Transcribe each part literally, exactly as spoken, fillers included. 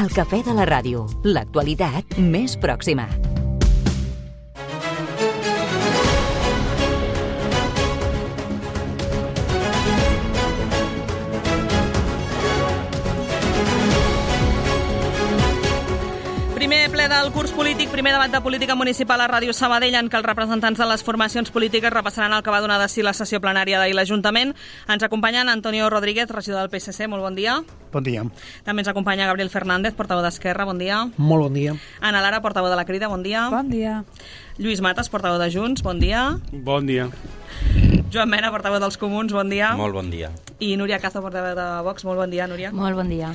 El cafè de la ràdio, l'actualitat més pròxima. Primer ple del curs polític, primer debat de política municipal a Ràdio Sabadell, en què els representants de les formacions polítiques repassaran el que va donar de si la sessió plenària d'ahir l'Ajuntament. Ens acompanyen Antonio Rodríguez, regidor del P S C, molt bon dia. Bon dia. També ens acompanya Gabriel Fernández, portaveu d'Esquerra, bon dia. Molt bon dia. Ana Lara, portaveu de la Crida, bon dia. Bon dia. Lluís Matas, portaveu de Junts, bon dia. Bon dia. Joan Mena, portaveu dels Comuns, bon dia. Molt bon dia. I Núria Cazo, portaveu de Vox, molt bon dia, Núria. Molt bon dia.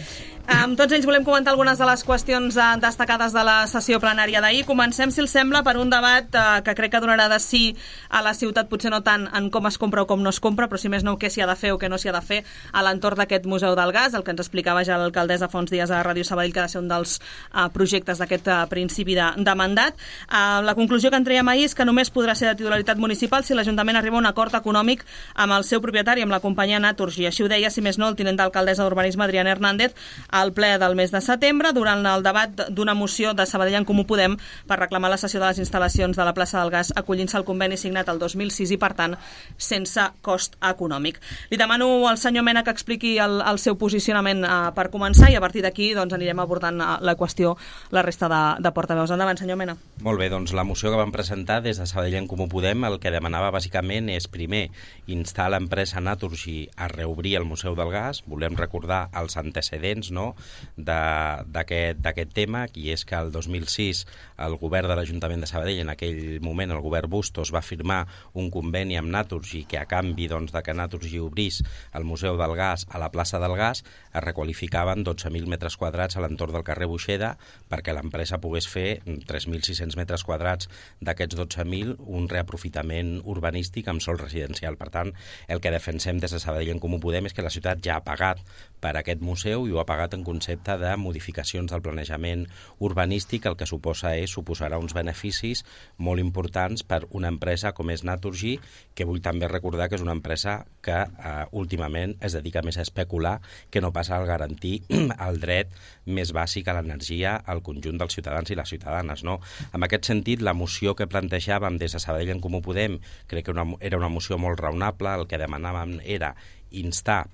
Amb tots ells volem comentar algunes de les qüestions eh, destacades de la sessió plenària d'ahir. Comencem, si els sembla, per un debat eh, que crec que donarà de sí a la ciutat, potser no tant en com es compra o com no es compra, però si més no què s'hi ha de fer o què no s'hi ha de fer a l'entorn d'aquest Museu del Gas, el que ens explicava ja l'alcaldessa fa uns dies a Ràdio Sabadell, que ha de ser un dels eh, projectes d'aquest eh, principi de, de mandat. Eh, la conclusió que en traiem ahir és que només podrà ser de titularitat municipal si l'Ajuntament arriba a un acord econòmic amb el seu propietari, amb la companyia Naturgy. Així ho deia, si més no, el tinent d'alcaldessa d'Urbanisme, Adriana Hernández, al ple del mes de setembre, durant el debat d'una moció de Sabadell en Comú Podem per reclamar la cessió de les instal·lacions de la plaça del Gas, acollint-se al conveni signat el dos mil sis i, per tant, sense cost econòmic. Li demano al senyor Mena que expliqui el, el seu posicionament eh, per començar, i a partir d'aquí doncs, anirem abordant eh, la qüestió la resta de, de portaveus. Endavant, senyor Mena. Molt bé, doncs la moció que vam presentar des de Sabadell en Comú Podem el que demanava bàsicament és, primer, instar l'empresa Naturgy a reobrir el Museu del Gas. Volem recordar els antecedents, no?, d'aquest tema, i és que el dos mil sis el govern de l'Ajuntament de Sabadell, en aquell moment el govern Bustos, va firmar un conveni amb Naturgy que, a canvi doncs, de que Naturgy obrís el Museu del Gas a la plaça del Gas, es requalificaven dotze mil metres quadrats a l'entorn del carrer Buixeda perquè l'empresa pogués fer tres mil sis-cents metres quadrats d'aquests dotze mil un reaprofitament urbanístic amb sòl residencial. Per tant, el que defensem des de Sabadell en Comú Podem és que la ciutat ja ha pagat per aquest museu i ho ha pagat en concepte de modificacions del planejament urbanístic, el que suposa és suposarà uns beneficis molt importants per una empresa com és Naturgy, que vull també recordar que és una empresa que eh, últimament es dedica més a especular que no passa a garantir el dret més bàsic a l'energia al conjunt dels ciutadans i les ciutadanes, no? En aquest sentit, la moció que plantejàvem des de Sabadell en Comú Podem crec que una, era una moció molt raonable. El que demanàvem era instar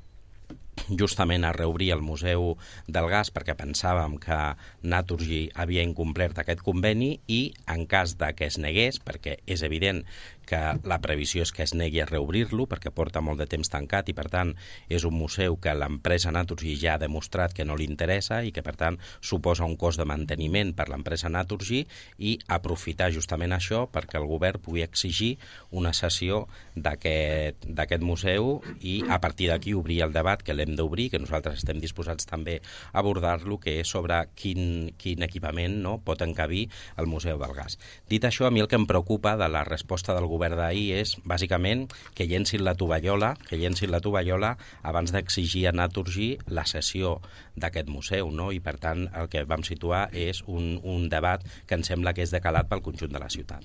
justament a reobrir el Museu del Gas perquè pensàvem que Naturgy havia incomplert aquest conveni, i en cas de que es negués, perquè és evident que la previsió és que es negui a reobrir-lo perquè porta molt de temps tancat i, per tant, és un museu que l'empresa Naturgy ja ha demostrat que no li interessa i que, per tant, suposa un cost de manteniment per l'empresa Naturgy, i aprofitar justament això perquè el govern pugui exigir una cessió d'aquest d'aquest museu i, a partir d'aquí, obrir el debat que l'hem d'obrir, que nosaltres estem disposats també a abordar-lo, que és sobre quin, quin equipament, no, pot encabir el Museu del Gas. Dit això, a mi el que em preocupa de la resposta del govern d'ahir és, bàsicament, que llencin la tovallola, que llencin la tovallola abans d'exigir a Naturgy la cessió d'aquest museu, no? I, per tant, el que vam situar és un, un debat que em sembla que és de calat pel conjunt de la ciutat.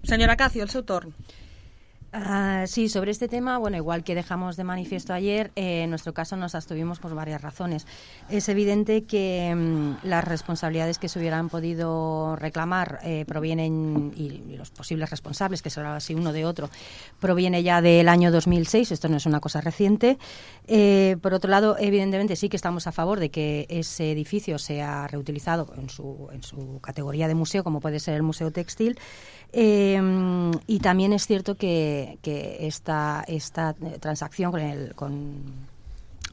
Senyora Cacio, el seu torn. Uh, sí, sobre este tema, bueno, igual que dejamos de manifiesto ayer, eh, en nuestro caso nos abstuvimos por varias razones. Es evidente que um, las responsabilidades que se hubieran podido reclamar eh, provienen, y, y los posibles responsables, que será así uno de otro, proviene ya del año dos mil seis, esto no es una cosa reciente. Eh, por otro lado, evidentemente sí que estamos a favor de que ese edificio sea reutilizado en su, en su categoría de museo, como puede ser el Museo Textil. Eh, y también es cierto que, que esta, esta transacción con, el, con,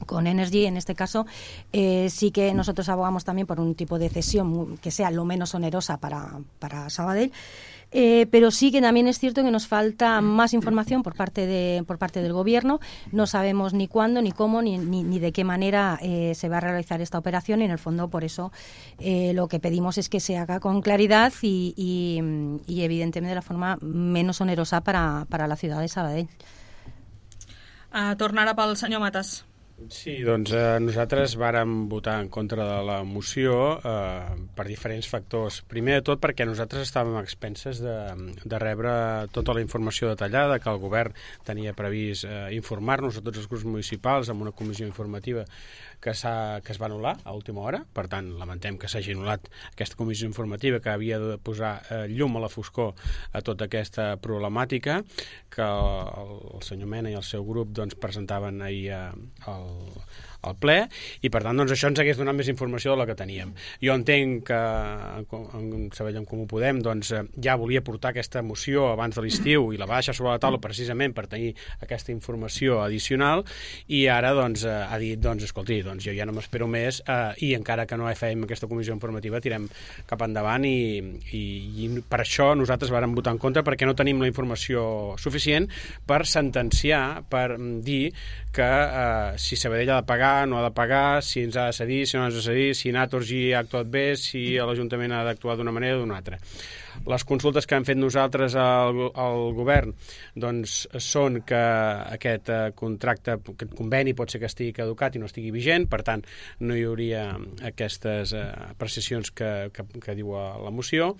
con Energy, en este caso, eh, sí que nosotros abogamos también por un tipo de cesión que sea lo menos onerosa para, para Sabadell. Eh, pero sí que también es cierto que nos falta más información por parte de por parte del Gobierno. No sabemos ni cuándo, ni cómo, ni, ni, ni de qué manera eh, se va a realizar esta operación, y en el fondo por eso eh, lo que pedimos es que se haga con claridad y, y, y evidentemente de la forma menos onerosa para, para la ciudad de Sabadell. Uh, tornarà pel senyor Matas. Sí, doncs eh, nosaltres vàrem votar en contra de la moció eh, per diferents factors. Primer de tot perquè nosaltres estàvem a expenses de, de rebre tota la informació detallada que el govern tenia previst eh, informar-nos a tots els grups municipals amb una comissió informativa que, que es va anul·lar a última hora. Per tant, lamentem que s'hagi anul·lat aquesta comissió informativa que havia de posar eh, llum a la foscor a tota aquesta problemàtica que el, el senyor Mena i el seu grup doncs, presentaven ahir eh, al al ple, i per tant doncs, això ens hagués donat més informació de la que teníem. Jo entenc que en Sabadell en Comú Podem doncs, ja volia portar aquesta moció abans de l'estiu i la va deixar sobre la taula precisament per tenir aquesta informació addicional, i ara doncs, ha dit, doncs, escolti, doncs, jo ja no m'espero més eh, i encara que no fem aquesta comissió informativa tirem cap endavant, i, i, i per això nosaltres vàrem votar en contra, perquè no tenim la informació suficient per sentenciar, per dir que eh, si Sabadell ha de pagar, no ha de pagar, si ens ha de cedir, si no ha de cedir, si Naturgy ha actuat bé, si l'Ajuntament ha d'actuar d'una manera o d'una altra. Les consultes que hem fet nosaltres al, al govern doncs, són que aquest eh, contracte, aquest conveni pot ser que estigui caducat i no estigui vigent, per tant no hi hauria aquestes eh, apreciacions que, que, que diu la moció.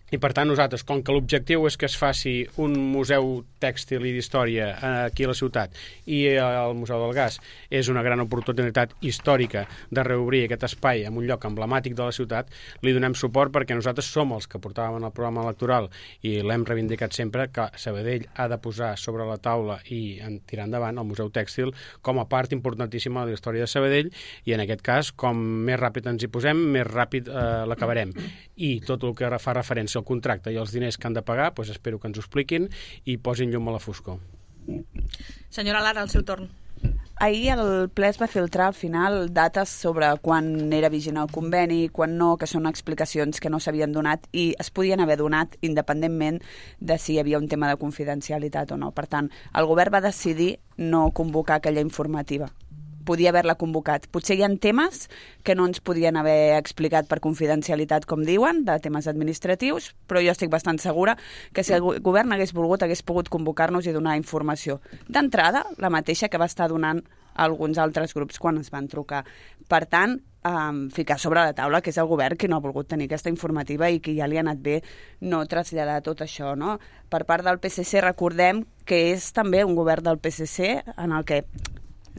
I per tant nosaltres, com que l'objectiu és que es faci un museu tèxtil i d'història aquí a la ciutat, i el Museu del Gas és una gran oportunitat històrica de reobrir aquest espai en un lloc emblemàtic de la ciutat, li donem suport perquè nosaltres som els que portàvem en el programa electoral i l'hem reivindicat sempre, que Sabadell ha de posar sobre la taula i en tirar endavant el Museu Tèxtil com a part importantíssima de la història de Sabadell, i en aquest cas, com més ràpid ens hi posem, més ràpid eh, l'acabarem. I tot el que fa referència el contracte i els diners que han de pagar, doncs espero que ens ho expliquin i posin llum a la foscor. Senyora Lara, al seu torn. Ahir el ple es va filtrar al final dates sobre quan era vigent el conveni, quan no, que són explicacions que no s'havien donat i es podien haver donat independentment de si hi havia un tema de confidencialitat o no. Per tant, el govern va decidir no convocar aquella informativa. Podia haver-la convocat. Potser hi ha temes que no ens podien haver explicat per confidencialitat, com diuen, de temes administratius, però jo estic bastant segura que si el govern hagués volgut, hagués pogut convocar-nos i donar informació. D'entrada, la mateixa que va estar donant alguns altres grups quan es van trucar. Per tant, um, ficar sobre la taula que és el govern que no ha volgut tenir aquesta informativa i que ja li ha anat bé no traslladar tot això, no? Per part del P S C, recordem que és també un govern del P S C en el que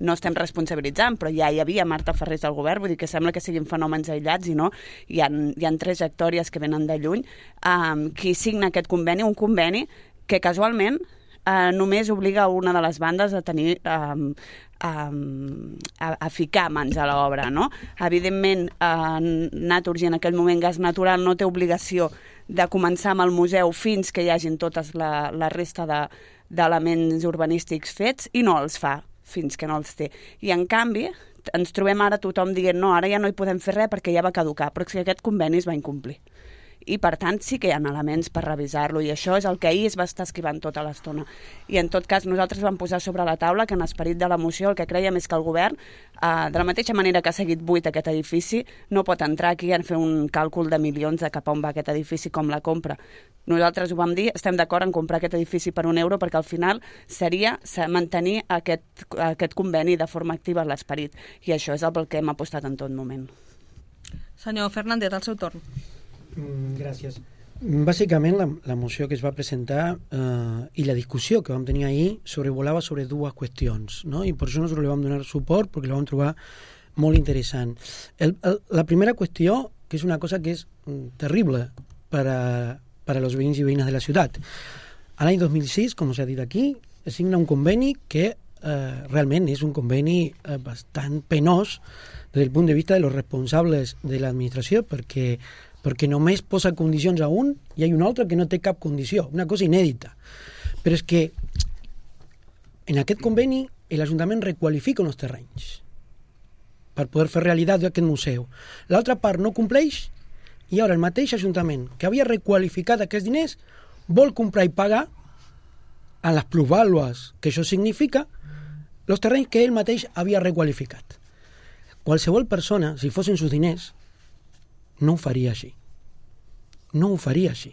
no estem responsabilitzant, però ja hi havia Marta Ferrés al govern, vull dir que sembla que siguin fenòmens aïllats i no, hi ha, hi ha trajectòries que venen de lluny. Um, qui signa aquest conveni? Un conveni que casualment uh, només obliga una de les bandes a tenir um, um, a, a ficar mans a l'obra, no? Evidentment, uh, Naturgy en aquell moment Gas Natural no té obligació de començar amb el museu fins que hi hagin totes la, la resta de, d'elements urbanístics fets i no els fa fins que no els té. I en canvi ens trobem ara tothom dient no, ara ja no hi podem fer res perquè ja va caducar, però que aquest conveni es va incomplir. I per tant sí que hi ha elements per revisar-lo i això és el que ahir es va estar esquivant tota l'estona. I en tot cas nosaltres vam posar sobre la taula que en esperit de la moció el que creiem és que el govern, eh, de la mateixa manera que ha seguit buit aquest edifici, no pot entrar aquí a fer un càlcul de milions de cap on va aquest edifici com la compra. Nosaltres ho vam dir, estem d'acord en comprar aquest edifici per un euro perquè al final seria mantenir aquest, aquest conveni de forma activa en l'esperit i això és el pel que hem apostat en tot moment. Senyor Fernández, al seu torn. Mm, gràcies. Bàsicament la, la moció que es va presentar eh, i la discussió que vam tenir ahir sobrevolava sobre dues qüestions, no? I per això nosaltres li vam donar suport perquè la vam trobar molt interessant. El, el, la primera qüestió, que és una cosa que és mm, terrible per a, per a los veïns i veïnes de la ciutat. A l'any dos mil sis, com s'ha dit aquí, es signa un conveni que eh, realment és un conveni eh, bastant penós des del punt de vista de los responsables de l'administració perquè perquè només posa condicions a un i hi ha un altre que no té cap condició, una cosa inèdita. Però és que en aquest conveni l'Ajuntament requalifica uns terrenys per poder fer realitat d'aquest museu. L'altra part no compleix i ara el mateix Ajuntament que havia requalificat aquests diners vol comprar i pagar a les plusvàlues que això significa els terrenys que ell mateix havia requalificat. Qualsevol persona, si fossin sus diners, no ho faria així. No ho faria així.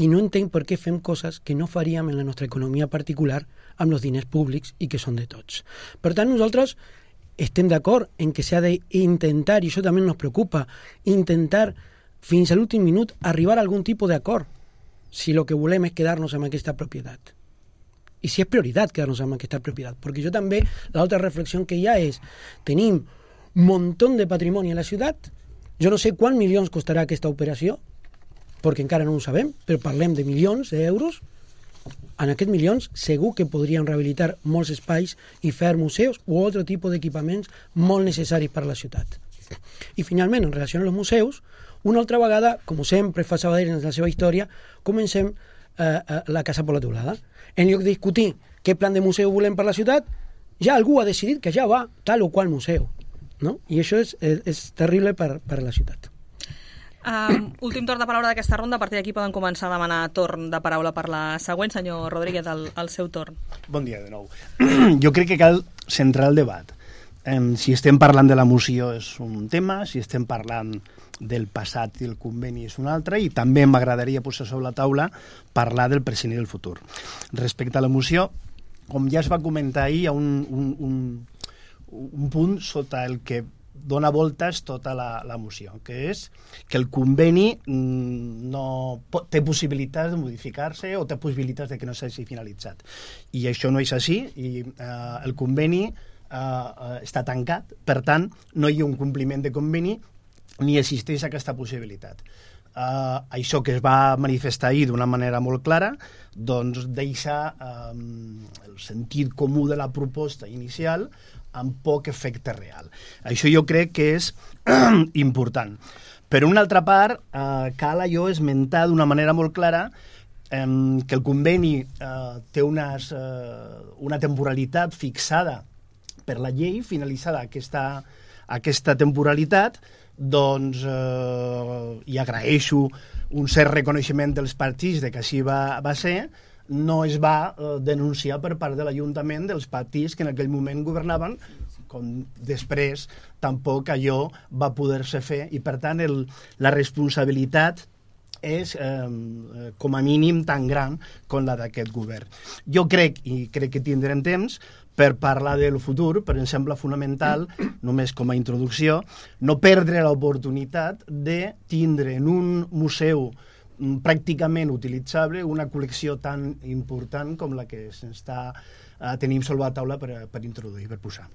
I no entenc per què fem coses que no faríem en la nostra economia particular amb els diners públics i que són de tots. Per tant, nosaltres estem d'acord en que s'ha d'intentar, i això també ens preocupa, intentar fins a l'últim minut arribar a algun tipus d'acord, si el que volem és quedar-nos amb aquesta propietat. I si és prioritat quedar-nos amb aquesta propietat. Perquè jo també, l'altra reflexió que hi ha és, tenim un munt de patrimoni a la ciutat, jo no sé quants milions costarà aquesta operació, perquè encara no ho sabem, però parlem de milions d'euros. En aquests milions segur que podríem rehabilitar molts espais i fer museus o altre tipus d'equipaments molt necessaris per a la ciutat. I finalment, en relació als museus, una altra vegada, com sempre fa Sabadell en la seva història, comencem eh, la casa per la teulada. En lloc de discutir què plan de museu volem per la ciutat, ja algú ha decidit que ja va tal o qual museu. No? I això és, és, és terrible per, per a la ciutat. Um, últim torn de paraula d'aquesta ronda. A partir d'aquí poden començar a demanar torn de paraula per la següent. Senyor Rodríguez, el, el seu torn. Bon dia de nou. Jo crec que cal centrar el debat. Um, si estem parlant de la moció és un tema, si estem parlant del passat i el conveni és un altre, i també m'agradaria posar sobre la taula parlar del present i del futur. Respecte a la moció, com ja es va comentar ahir, hi ha un, un, un, un punt sota el que dona voltes tota la, la moció, que és que el conveni no pot, té possibilitats de modificar-se o té possibilitats de que no s'hagi finalitzat. I això no és així, i eh, el conveni eh, està tancat, per tant, no hi ha un compliment de conveni ni existeix aquesta possibilitat. Eh, això que es va manifestar ahir d'una manera molt clara, doncs deixa eh, el sentit comú de la proposta inicial amb poc efecte real. Això jo crec que és important. Per una altra part, eh, cal allò esmentar d'una manera molt clara eh, que el conveni eh, té unes, eh, una temporalitat fixada per la llei, finalitzada aquesta, aquesta temporalitat, doncs eh, i agraeixo un cert reconeixement dels partits de que així va, va ser, no es va eh, denunciar per part de l'Ajuntament dels partits que en aquell moment governaven, com després tampoc allò va poder-se fer, i per tant el, la responsabilitat és eh, com a mínim tan gran com la d'aquest govern. Jo crec, i crec que tindrem temps per parlar del futur, però em sembla fonamental, només com a introducció, no perdre l'oportunitat de tindre en un museu pràcticament utilitzable una col·lecció tan important com la que s'està eh, tenim sobre la taula per, per introduir, per posar.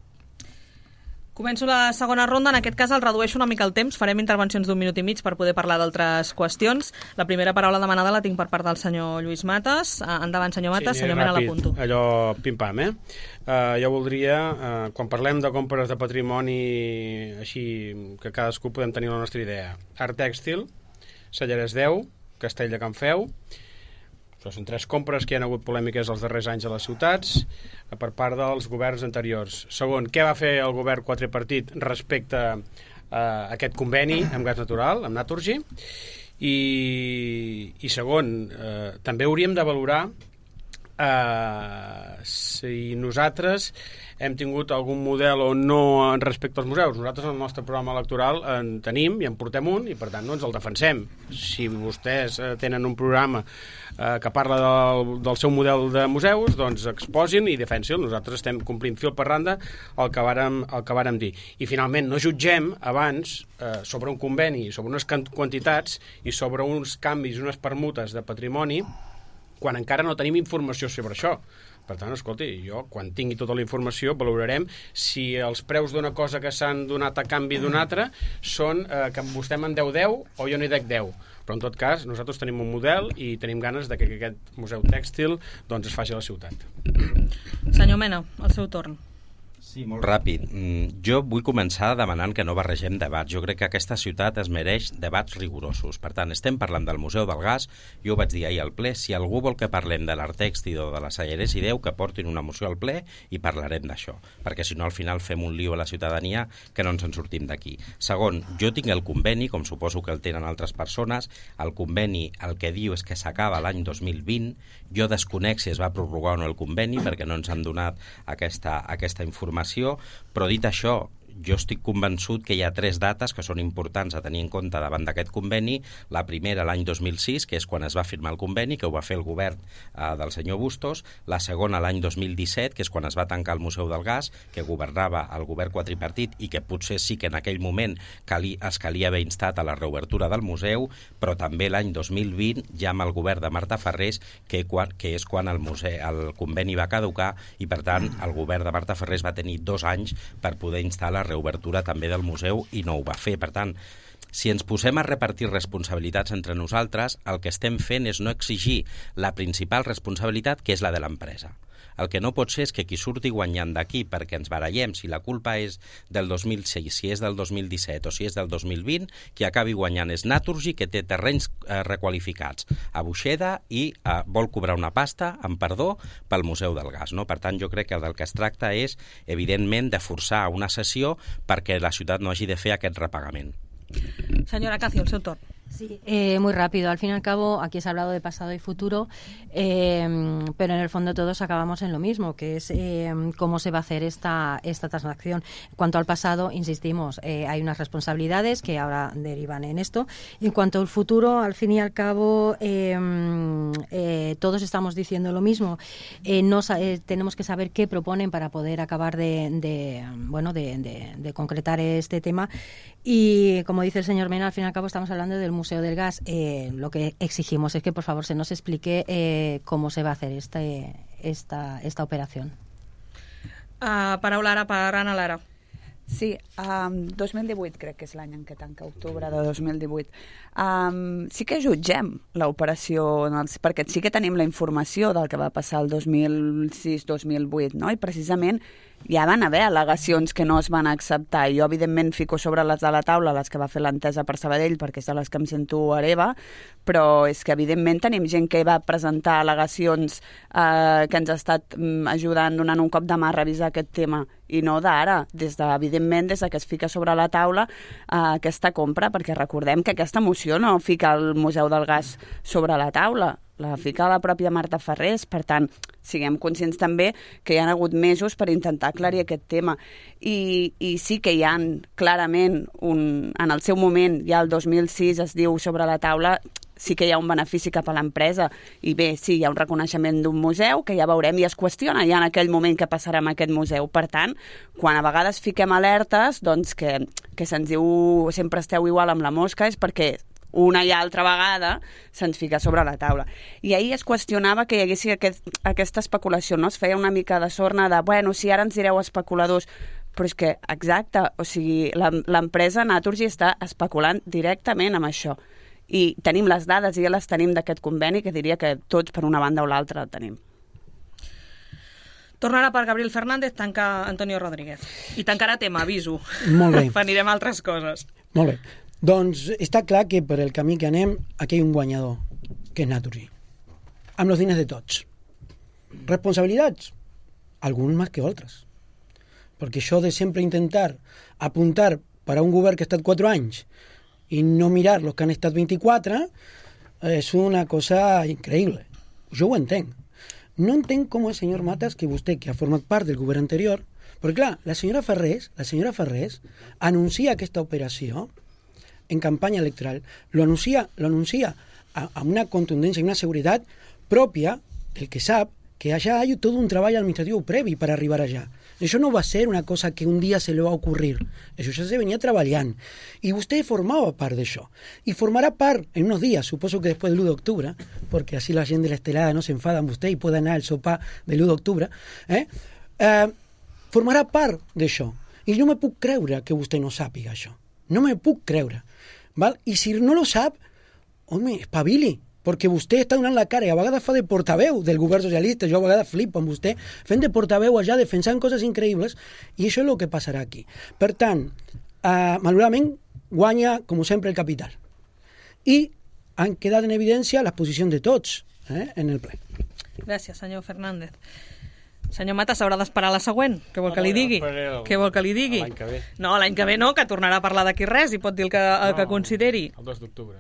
Començo la segona ronda. En aquest cas el redueixo una mica el temps. Farem intervencions d'un minut i mig per poder parlar d'altres qüestions. La primera paraula demanada la tinc per part del senyor Lluís Matas. Endavant, senyor Matas. Sí, senyor Mena, l'apunto. Allò pim-pam, eh? Uh, jo voldria, uh, quan parlem de compres de patrimoni així que cadascú podem tenir la nostra idea. Art Tèxtil, Celleres deu, Castell de Can Feu. Això són tres compres que hi ha hagut polèmiques els darrers anys a les ciutats per part dels governs anteriors. Segon, què va fer el govern quadripartit respecte a aquest conveni amb gas natural, amb Naturgy? I, i segon, eh, també hauríem de valorar eh, si nosaltres hem tingut algun model o no respecte als museus. Nosaltres en el nostre programa electoral en tenim i en portem un i per tant no ens el defensem. Si vostès eh, tenen un programa eh, que parla del, del seu model de museus, doncs exposin i defensin. Nosaltres estem complint fil per randa el que vàrem, el que vàrem dir. I finalment no jutgem abans eh, sobre un conveni, sobre unes quantitats i sobre uns canvis, unes permutes de patrimoni quan encara no tenim informació sobre això. Per tant, escolti, jo, quan tingui tota la informació, valorarem si els preus d'una cosa que s'han donat a canvi d'una altra són eh, que vostè me'n deu deu o jo n'hi dec deu. Però, en tot cas, nosaltres tenim un model i tenim ganes de que aquest museu tèxtil doncs, es faci a la ciutat. Senyor Mena, el seu torn. Sí, molt ràpid. Jo vull començar demanant que no barregem debats. Jo crec que aquesta ciutat es mereix debats rigorosos. Per tant, estem parlant del Museu del Gas. Jo ho vaig dir ahir al ple. Si algú vol que parlem de l'Art Tèxtil o de la Celleres i deu, que portin una moció al ple i parlarem d'això. Perquè si no, al final fem un lío a la ciutadania que no ens en sortim d'aquí. Segon, jo tinc el conveni, com suposo que el tenen altres persones. El conveni el que diu és que s'acaba l'any dos mil vint. Jo desconec si es va prorrogar o no el conveni perquè no ens han donat aquesta, aquesta informació. Però dit això, jo estic convençut que hi ha tres dates que són importants a tenir en compte davant d'aquest conveni. La primera, l'any dos mil sis, que és quan es va firmar el conveni, que ho va fer el govern eh, del senyor Bustos. La segona, l'any dos mil disset, que és quan es va tancar el Museu del Gas, que governava el govern quadripartit i que potser sí que en aquell moment cali, es calia haver instat a la reobertura del museu, però també l'any dos mil vint, ja amb el govern de Marta Ferrés, que, quan, que és quan el, museu, el conveni va caducar i, per tant, el govern de Marta Ferrés va tenir dos anys per poder instar la reobertura també del museu i no ho va fer. Per tant, si ens posem a repartir responsabilitats entre nosaltres, el que estem fent és no exigir la principal responsabilitat, que és la de l'empresa. El que no pot ser és que qui surti guanyant d'aquí perquè ens barallem si la culpa és del dos mil sis, si és del dos mil disset o si és del dos mil vint, qui acabi guanyant és Naturgy, que té terrenys eh, requalificats a Buixeda i eh, vol cobrar una pasta, amb perdó, pel Museu del Gas. No? Per tant, jo crec que del que es tracta és, evidentment, de forçar una sessió perquè la ciutat no hagi de fer aquest repagament. Senyora Cacio, el seu torn. Sí, eh, muy rápido. Al fin y al cabo, aquí se ha hablado de pasado y futuro, eh, pero en el fondo todos acabamos en lo mismo, que es eh, cómo se va a hacer esta, esta transacción. En cuanto al pasado, insistimos, eh, hay unas responsabilidades que ahora derivan en esto. En cuanto al futuro, al fin y al cabo, eh, eh, todos estamos diciendo lo mismo. Eh, no, eh, tenemos que saber qué proponen para poder acabar de, de, bueno, de, de, de concretar este tema. Y como dice el señor Mena, al fin y al cabo estamos hablando del Museo del Gas. Eh, lo que exigimos es que por favor se nos explique eh, cómo se va a hacer este, esta, esta operación. Uh, paraula ara per Anna Lara. Sí, um, dos mil divuit crec que és l'any en què tanca, octubre de dos mil divuit. Um, sí que jutgem l'operació, perquè sí que tenim la informació del que va passar el dos mil sis dos mil vuit, no? I precisament ja van haver al·legacions que no es van acceptar. Jo, evidentment, fico sobre les de la taula les que va fer l'entesa per Sabadell, perquè és de les que em sento hereva, però és que, evidentment, tenim gent que va presentar al·legacions eh, que ens ha estat mm, ajudant, donant un cop de mà a revisar aquest tema, i no d'ara, des de, evidentment, des de que es fica sobre la taula eh, aquesta compra, perquè recordem que aquesta moció no fica el Museu del Gas sobre la taula, la fica la pròpia Marta Ferrés. Per tant, siguem conscients també que hi ha hagut mesos per intentar aclarir aquest tema. I, i sí que hi ha clarament, un, en el seu moment, ja el dos mil sis es diu sobre la taula, sí que hi ha un benefici cap a l'empresa. I bé, sí, hi ha un reconeixement d'un museu que ja veurem i es qüestiona ja en aquell moment què passarà amb aquest museu. Per tant, quan a vegades fiquem alertes, doncs que, que se'ns diu sempre esteu igual amb la mosca, és perquè una i altra vegada se'ns fica sobre la taula. I ahir es qüestionava que hi hagués aquest, aquesta especulació, no? Es feia una mica de sorna de, bueno, si ara ens direu especuladors, però és que, exacte, o sigui, l'empresa Naturgy està especulant directament amb això. I tenim les dades, i ja les tenim d'aquest conveni, que diria que tots per una banda o l'altra el tenim. Tornarà per Gabriel Fernández, tanca Antonio Rodríguez. I tancarà tema, aviso. Molt bé. Anirem a altres coses. Molt bé. Doncs està clar que per el camí que anem aquí hi ha un guanyador, que és Naturgy, amb els diners de tots. Responsabilitats? Alguns més que altres. Perquè això de sempre intentar apuntar per a un govern que ha estat quatre anys i no mirar els que han estat vint-i-quatre és una cosa increïble. Jo ho entenc. No entenc com el senyor Matas, que vostè, que ha format part del govern anterior, perquè clar, la senyora Ferrés, la senyora Ferrés anuncia aquesta operació en campanya electoral, lo anuncia, lo anuncia a, a una contundència i una seguretat pròpia del que sap que allà hi ha tot un treball administratiu previ per arribar allà. Això no va ser una cosa que un dia se li va ocurrir. Això ja se venia treballant. I vostè formava part d'això. I formarà part en uns dies, suposo que després de l'u d'octubre, perquè així la gent de l'Estelada no s'enfada amb vostè i pot anar al sopar de l'u d'octubre, eh? Eh, formarà part d'això. I no me puc creure que vostè no sàpiga això. No me puc creure. Val? I si no lo sap, home, espavili, perquè vostè està donant la cara i a vegades fa de portaveu del govern socialista. Jo a vegades flipo amb vostè fent de portaveu allà, defensant coses increïbles, i això és el que passarà aquí. Per tant, eh, malauradament guanya, com sempre, el capital. I han quedat en evidència les posicions de tots eh, en el ple. Gràcies, senyor Fernández. Senyor Matas, s'haurà d'esperar la següent. Què vol que li digui? Què vol que li digui? L'any que ve. No, l'any que ve no, que tornarà a parlar d'aquí res i pot dir el que, el no, que consideri. El dos d'octubre.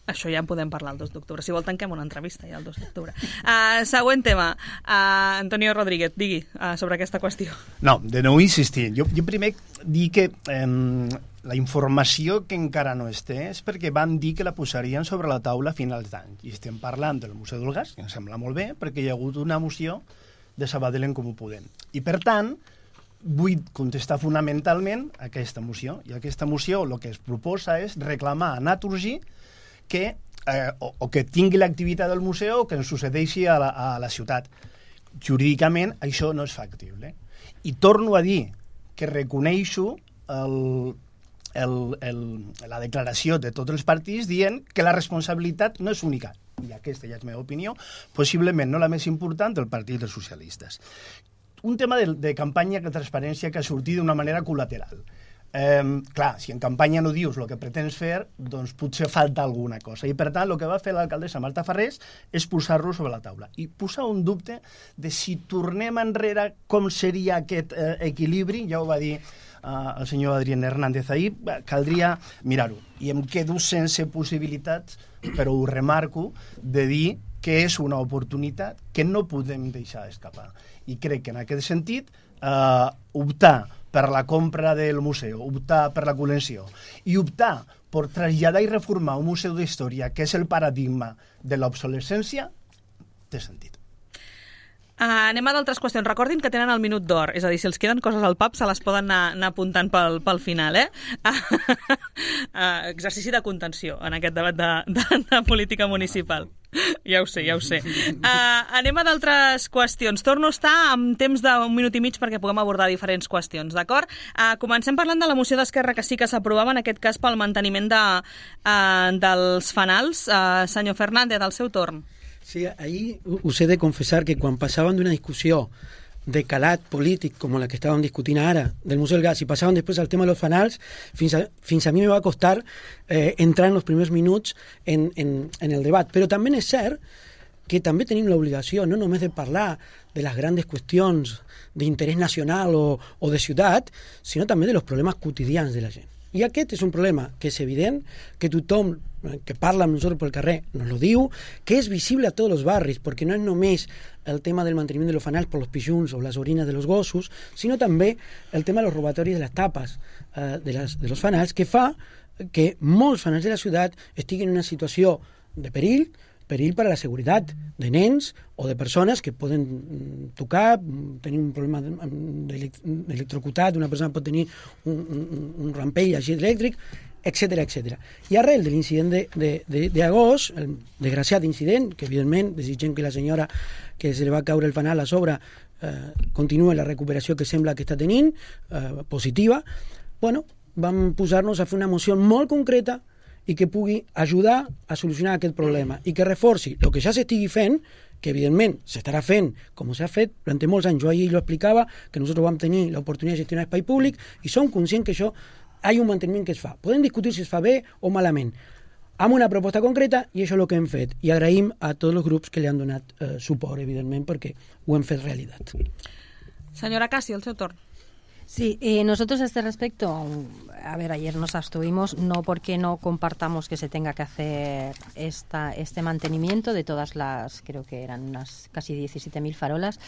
Això ja en podem parlar el dos d'octubre. Si vol, tanquem una entrevista ja el dos d'octubre. Uh, següent tema. Uh, Antonio Rodríguez, digui uh, sobre aquesta qüestió. No, de nou insistir. Jo, jo primer dic que eh, la informació que encara no es té és perquè van dir que la posarien sobre la taula a finals d'any. I estem parlant del Museu del Gas, que em sembla molt bé, perquè hi ha hagut una moció de Sabadell en Comú Podem. I, per tant, vull contestar fonamentalment aquesta moció. I aquesta moció el que es proposa és reclamar a Naturgy que, eh, o, o que tingui l'activitat del museu o que ens succeeixi a la, a la ciutat. Jurídicament això no és factible. I torno a dir que reconeixo el, el, el, la declaració de tots els partits dient que la responsabilitat no és única, i aquesta ja és la meva opinió, possiblement no la més important del Partit dels Socialistes. Un tema de, de campanya de transparència que ha sortit d'una manera col·lateral. Eh, clar, si en campanya no dius el que pretens fer, doncs potser falta alguna cosa. I per tant, el que va fer l'alcaldessa Marta Farrés és posar-lo sobre la taula. I posar un dubte de si tornem enrere com seria aquest eh, equilibri, ja ho va dir eh, el senyor Adrián Hernández ahir, caldria mirar-ho. I em quedo sense possibilitats, però ho remarco, de dir que és una oportunitat que no podem deixar escapar. I crec que en aquest sentit eh, optar per la compra del museu, optar per la col·lecció i optar per traslladar i reformar un museu d'història que és el paradigma de l'obsolescència, té sentit. Uh, anem a d'altres qüestions. Recordin que tenen el minut d'or, és a dir, si els queden coses al pap se les poden anar, anar apuntant pel, pel final, eh? Uh, exercici de contenció en aquest debat de, de, de política municipal. Ja ho sé, ja ho sé. Uh, anem a d'altres qüestions. Torno a estar amb temps d'un minut i mig perquè puguem abordar diferents qüestions, d'acord? Uh, comencem parlant de la moció d'Esquerra que sí que s'aprovava, en aquest cas pel manteniment de, uh, dels fanals. Uh, senyor Fernández, al seu torn. Sí, ahí us he de confessar que quan passaven d'una discussió de calat polític com la que estàvem discutint ara del Museu del Gas i passaven després al tema de los fanals, fins a, fins a mi me va costar eh, entrar en els primers minuts en, en, en el debat. Però també és cert que també tenim l'obligació no només de parlar de les grans qüestions d'interès nacional o, o de ciutat, sinó també de los problemes quotidians de la gent. I aquest és un problema que és evident, que tothom que parla amb nosaltres pel carrer nos lo diu, que és visible a tots els barris, perquè no és només el tema del manteniment de los fanals per los pijuns o les orines de los gossos, sinó també el tema de los robatoris de les tapes eh, de, les, de los fanals, que fa que molts fanals de la ciutat estiguin en una situació de perill, perill per a la seguretat de nens o de persones que poden tocar, tenir un problema d'electrocutat, una persona pot tenir un, un, un rampell així elèctric, etcètera, etcètera. I arrel de l'incident d'agost, el desgraciat incident, que evidentment desitgem que la senyora que se li va caure el fanal a sobre eh, continua la recuperació que sembla que està tenint, eh, positiva, bueno, vam posar-nos a fer una moció molt concreta i que pugui ajudar a solucionar aquest problema i que reforci el que ja s'estigui fent, que evidentment s'estarà fent com s'ha fet durant molts anys. Jo ahir lo explicava, que nosaltres vam tenir l'oportunitat de gestionar espai públic i som conscients que això hi ha un manteniment que es fa. Podem discutir si es fa bé o malament, amb una proposta concreta, i això és el que hem fet. I agraïm a tots els grups que li han donat eh, suport, evidentment, perquè ho hem fet realitat. Senyora Cassi, el seu torn. Sí, eh, nosotros a este respecto, a ver, ayer nos abstuvimos, no porque no compartamos que se tenga que hacer esta, este mantenimiento de todas las, creo que eran unas casi diecisiete mil farolas,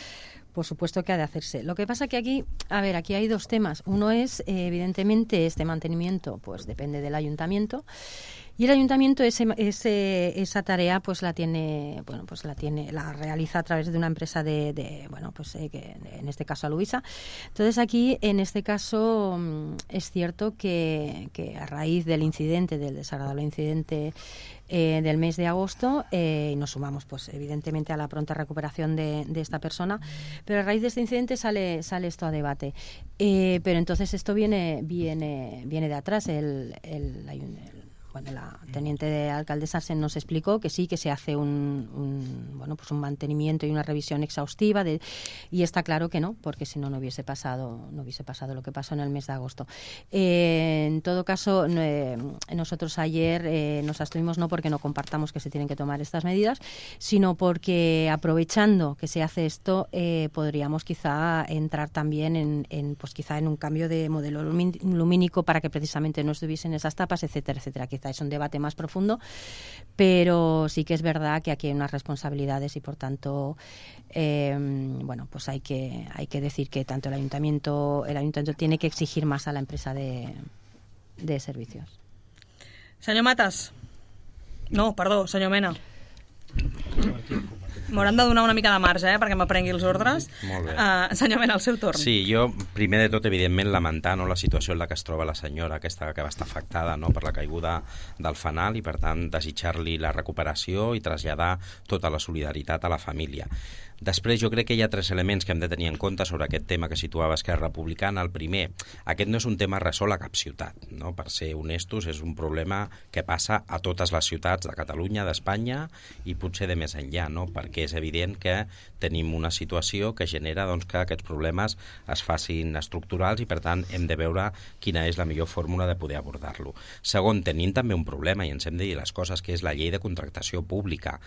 por supuesto que ha de hacerse. Lo que pasa que aquí, a ver, aquí hay dos temas. Uno es, eh, evidentemente, este mantenimiento, pues depende del ayuntamiento. Y el ayuntamiento ese, ese, esa tarea pues la tiene, bueno, pues la tiene, la realiza a través de una empresa de, de bueno, pues eh, que en este caso a Luisa. Entonces aquí, en este caso, es cierto que, que a raíz del incidente, del desagradable incidente eh, del mes de agosto, eh, y nos sumamos, pues evidentemente a la pronta recuperación de, de esta persona, pero a raíz de este incidente sale, sale esto a debate. Eh, pero entonces esto viene, viene, viene de atrás, el, el, el Bueno, la teniente de alcaldesa se nos explicó que sí, que se hace un, un bueno, pues un mantenimiento y una revisión exhaustiva de, y está claro que no, porque si no no hubiese pasado no hubiese pasado lo que pasó en el mes de agosto. Eh, en todo caso, eh, nosotros ayer eh, nos abstuvimos no porque no compartamos que se tienen que tomar estas medidas, sino porque aprovechando que se hace esto eh, podríamos quizá entrar también en, en pues quizá en un cambio de modelo lumínico para que precisamente no estuviesen esas tapas, etcétera, etcétera, que verdad, es un debate más profundo, pero sí que es verdad que aquí hay unas responsabilidades y por tanto eh, bueno, pues hay que hay que decir que tanto el ayuntamiento el ayuntamiento tiene que exigir más a la empresa de, de servicios. Senyor Matas. No, perdó, senyor Mena. M'hauran de donar una mica de marge, eh, perquè m'aprengui els ordres. Molt bé. Uh, senyor Mena, el seu torn. Sí, jo, primer de tot, evidentment, lamentar no, la situació en la que es troba la senyora, aquesta que va estar afectada no, per la caiguda del fanal i, per tant, desitjar-li la recuperació i traslladar tota la solidaritat a la família. Després, jo crec que hi ha tres elements que hem de tenir en compte sobre aquest tema que situava Esquerra Republicana. El primer, aquest no és un tema resol a cap ciutat, no? Per ser honestos, és un problema que passa a totes les ciutats de Catalunya, d'Espanya i potser de més enllà, no? Perquè és evident que tenim una situació que genera doncs, que aquests problemes es facin estructurals i, per tant, hem de veure quina és la millor fórmula de poder abordar-lo. Segon, tenim també un problema, i ens hem de dir les coses, que és la llei de contractació pública.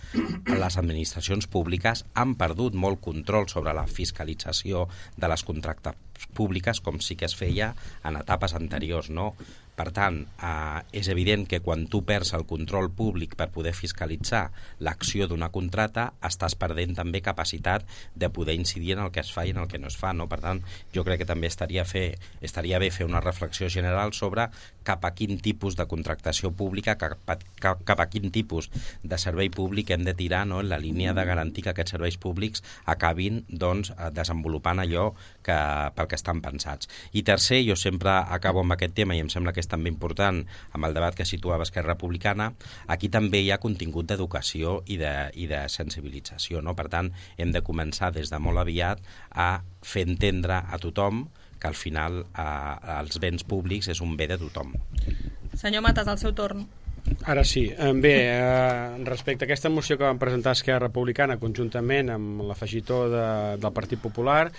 Les administracions públiques han perdut molt control sobre la fiscalització de les contractes públiques, com sí que es feia en etapes anteriors, no? Per tant, eh, és evident que quan tu perds el control públic per poder fiscalitzar l'acció d'una contrata, estàs perdent també capacitat de poder incidir en el que es fa i en el que no es fa, no? Per tant, jo crec que també estaria, fer, estaria bé fer una reflexió general sobre cap a quin tipus de contractació pública, cap a, cap, cap a quin tipus de servei públic hem de tirar, no? En la línia de garantir que aquests serveis públics acabin doncs, desenvolupant allò que, pel que estan pensats. I tercer, jo sempre acabo amb aquest tema i em sembla que és també important amb el debat que situava Esquerra Republicana, aquí també hi ha contingut d'educació i de, i de sensibilització, no? Per tant, hem de començar des de molt aviat a fer entendre a tothom que al final eh, els béns públics és un bé de tothom. Senyor Matas, al seu torn. Ara sí. Bé, eh, respecte a aquesta moció que van presentar Esquerra Republicana conjuntament amb l'afegitó de, del Partit Popular,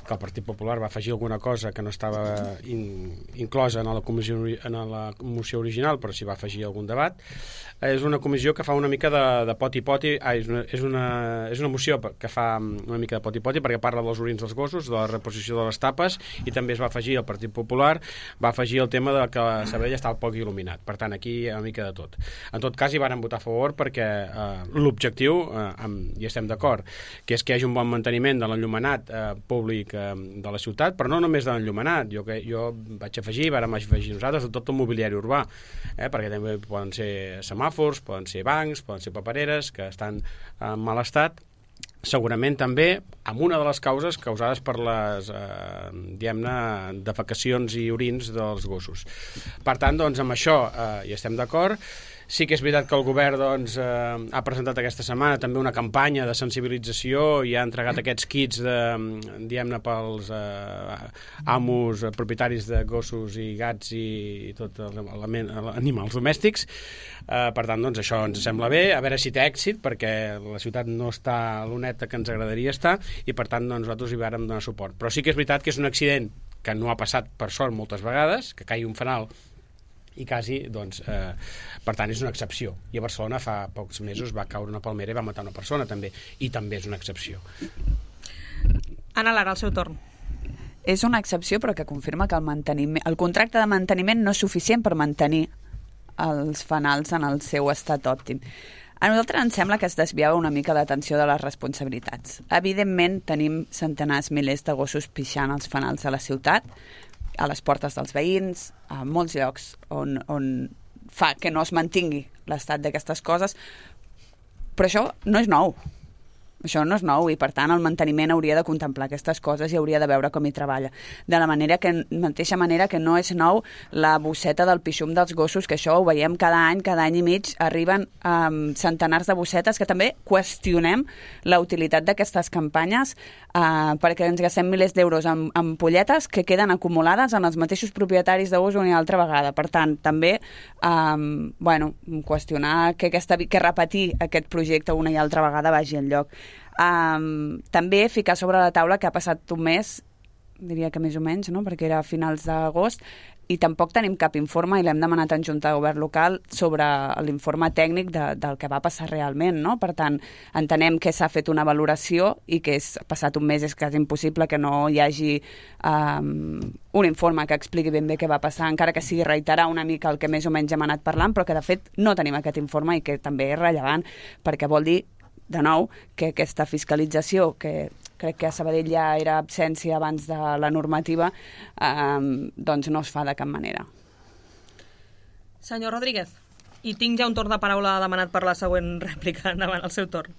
que el Partit Popular va afegir alguna cosa que no estava in, inclosa en la, comissió, en la moció original, però s'hi va afegir algun debat. És una comissió que fa una mica de, de poti-poti, ah, és, una, és, una, és una moció que fa una mica de poti-poti perquè parla dels orins dels gossos, de la reposició de les tapes, i també es va afegir, el Partit Popular va afegir el tema de que Sabadell estava poc il·luminat. Per tant, aquí hi ha una mica de tot. En tot cas, hi varen votar a favor perquè eh, l'objectiu, eh, amb, i estem d'acord, que és que hi hagi un bon manteniment de l'enllumenat eh, públic eh, de la ciutat, però no només de l'enllumenat. Jo, que, jo vaig afegir, vàrem afegir nosaltres de tot el mobiliari urbà, eh, perquè també poden ser semàfors, poden ser bancs, poden ser papereres que estan en mal estat, segurament també amb una de les causes causades per les eh, diguem-ne, defecacions i orins dels gossos. Per tant, doncs, amb això eh, hi estem d'acord. Sí que és veritat que el govern doncs, eh, ha presentat aquesta setmana també una campanya de sensibilització i ha entregat aquests kits de, diguem-ne, pels eh, amos, eh, propietaris de gossos i gats i, i tot els animals domèstics. Eh, per tant, doncs, això ens sembla bé, a veure si té èxit, perquè la ciutat no està a l'oneta que ens agradaria estar i, per tant, doncs, nosaltres hi vàrem donar suport. Però sí que és veritat que és un accident que no ha passat, per sort, moltes vegades, que caigui un fanal i quasi, doncs, eh, per tant, és una excepció. I a Barcelona fa pocs mesos va caure una palmera i va matar una persona, també, i també és una excepció. Anna Lara, al seu torn. És una excepció, però que confirma que el, manteniment, el contracte de manteniment no és suficient per mantenir els fanals en el seu estat òptim. A nosaltres ens sembla que es desviava una mica l'atenció de les responsabilitats. Evidentment, tenim centenars, milers de gossos pixant als fanals de la ciutat, a les portes dels veïns, a molts llocs on, on fa que no es mantingui l'estat d'aquestes coses, però això no és nou. Això no és nou i, per tant, el manteniment hauria de contemplar aquestes coses i hauria de veure com hi treballa. De la manera que, mateixa manera que no és nou la bosseta del pixum dels gossos, que això ho veiem cada any, cada any i mig, arriben um, centenars de bossetes, que també qüestionem la utilitat d'aquestes campanyes uh, perquè ens gastem milers d'euros en, en polletes que queden acumulades en els mateixos propietaris de gos una altra vegada. Per tant, també um, bueno, qüestionar que, aquesta, que repetir aquest projecte una i altra vegada vagi enlloc. Um, també ficar sobre la taula que ha passat un mes, diria que més o menys, no? Perquè era a finals d'agost, i tampoc tenim cap informe, i l'hem demanat en Junta de Govern local, sobre l'informe tècnic de, del que va passar realment, no? Per tant, entenem que s'ha fet una valoració i que és passat un mes és quasi impossible que no hi hagi um, un informe que expliqui ben bé què va passar, encara que sigui reiterar una mica el que més o menys hem anat parlant, però que de fet no tenim aquest informe i que també és rellevant, perquè vol dir, de nou, que aquesta fiscalització, que crec que a Sabadell ja era absència abans de la normativa, eh, doncs no es fa de cap manera. Senyor Rodríguez, i tinc ja un torn de paraula demanat per la següent rèplica, endavant el seu torn.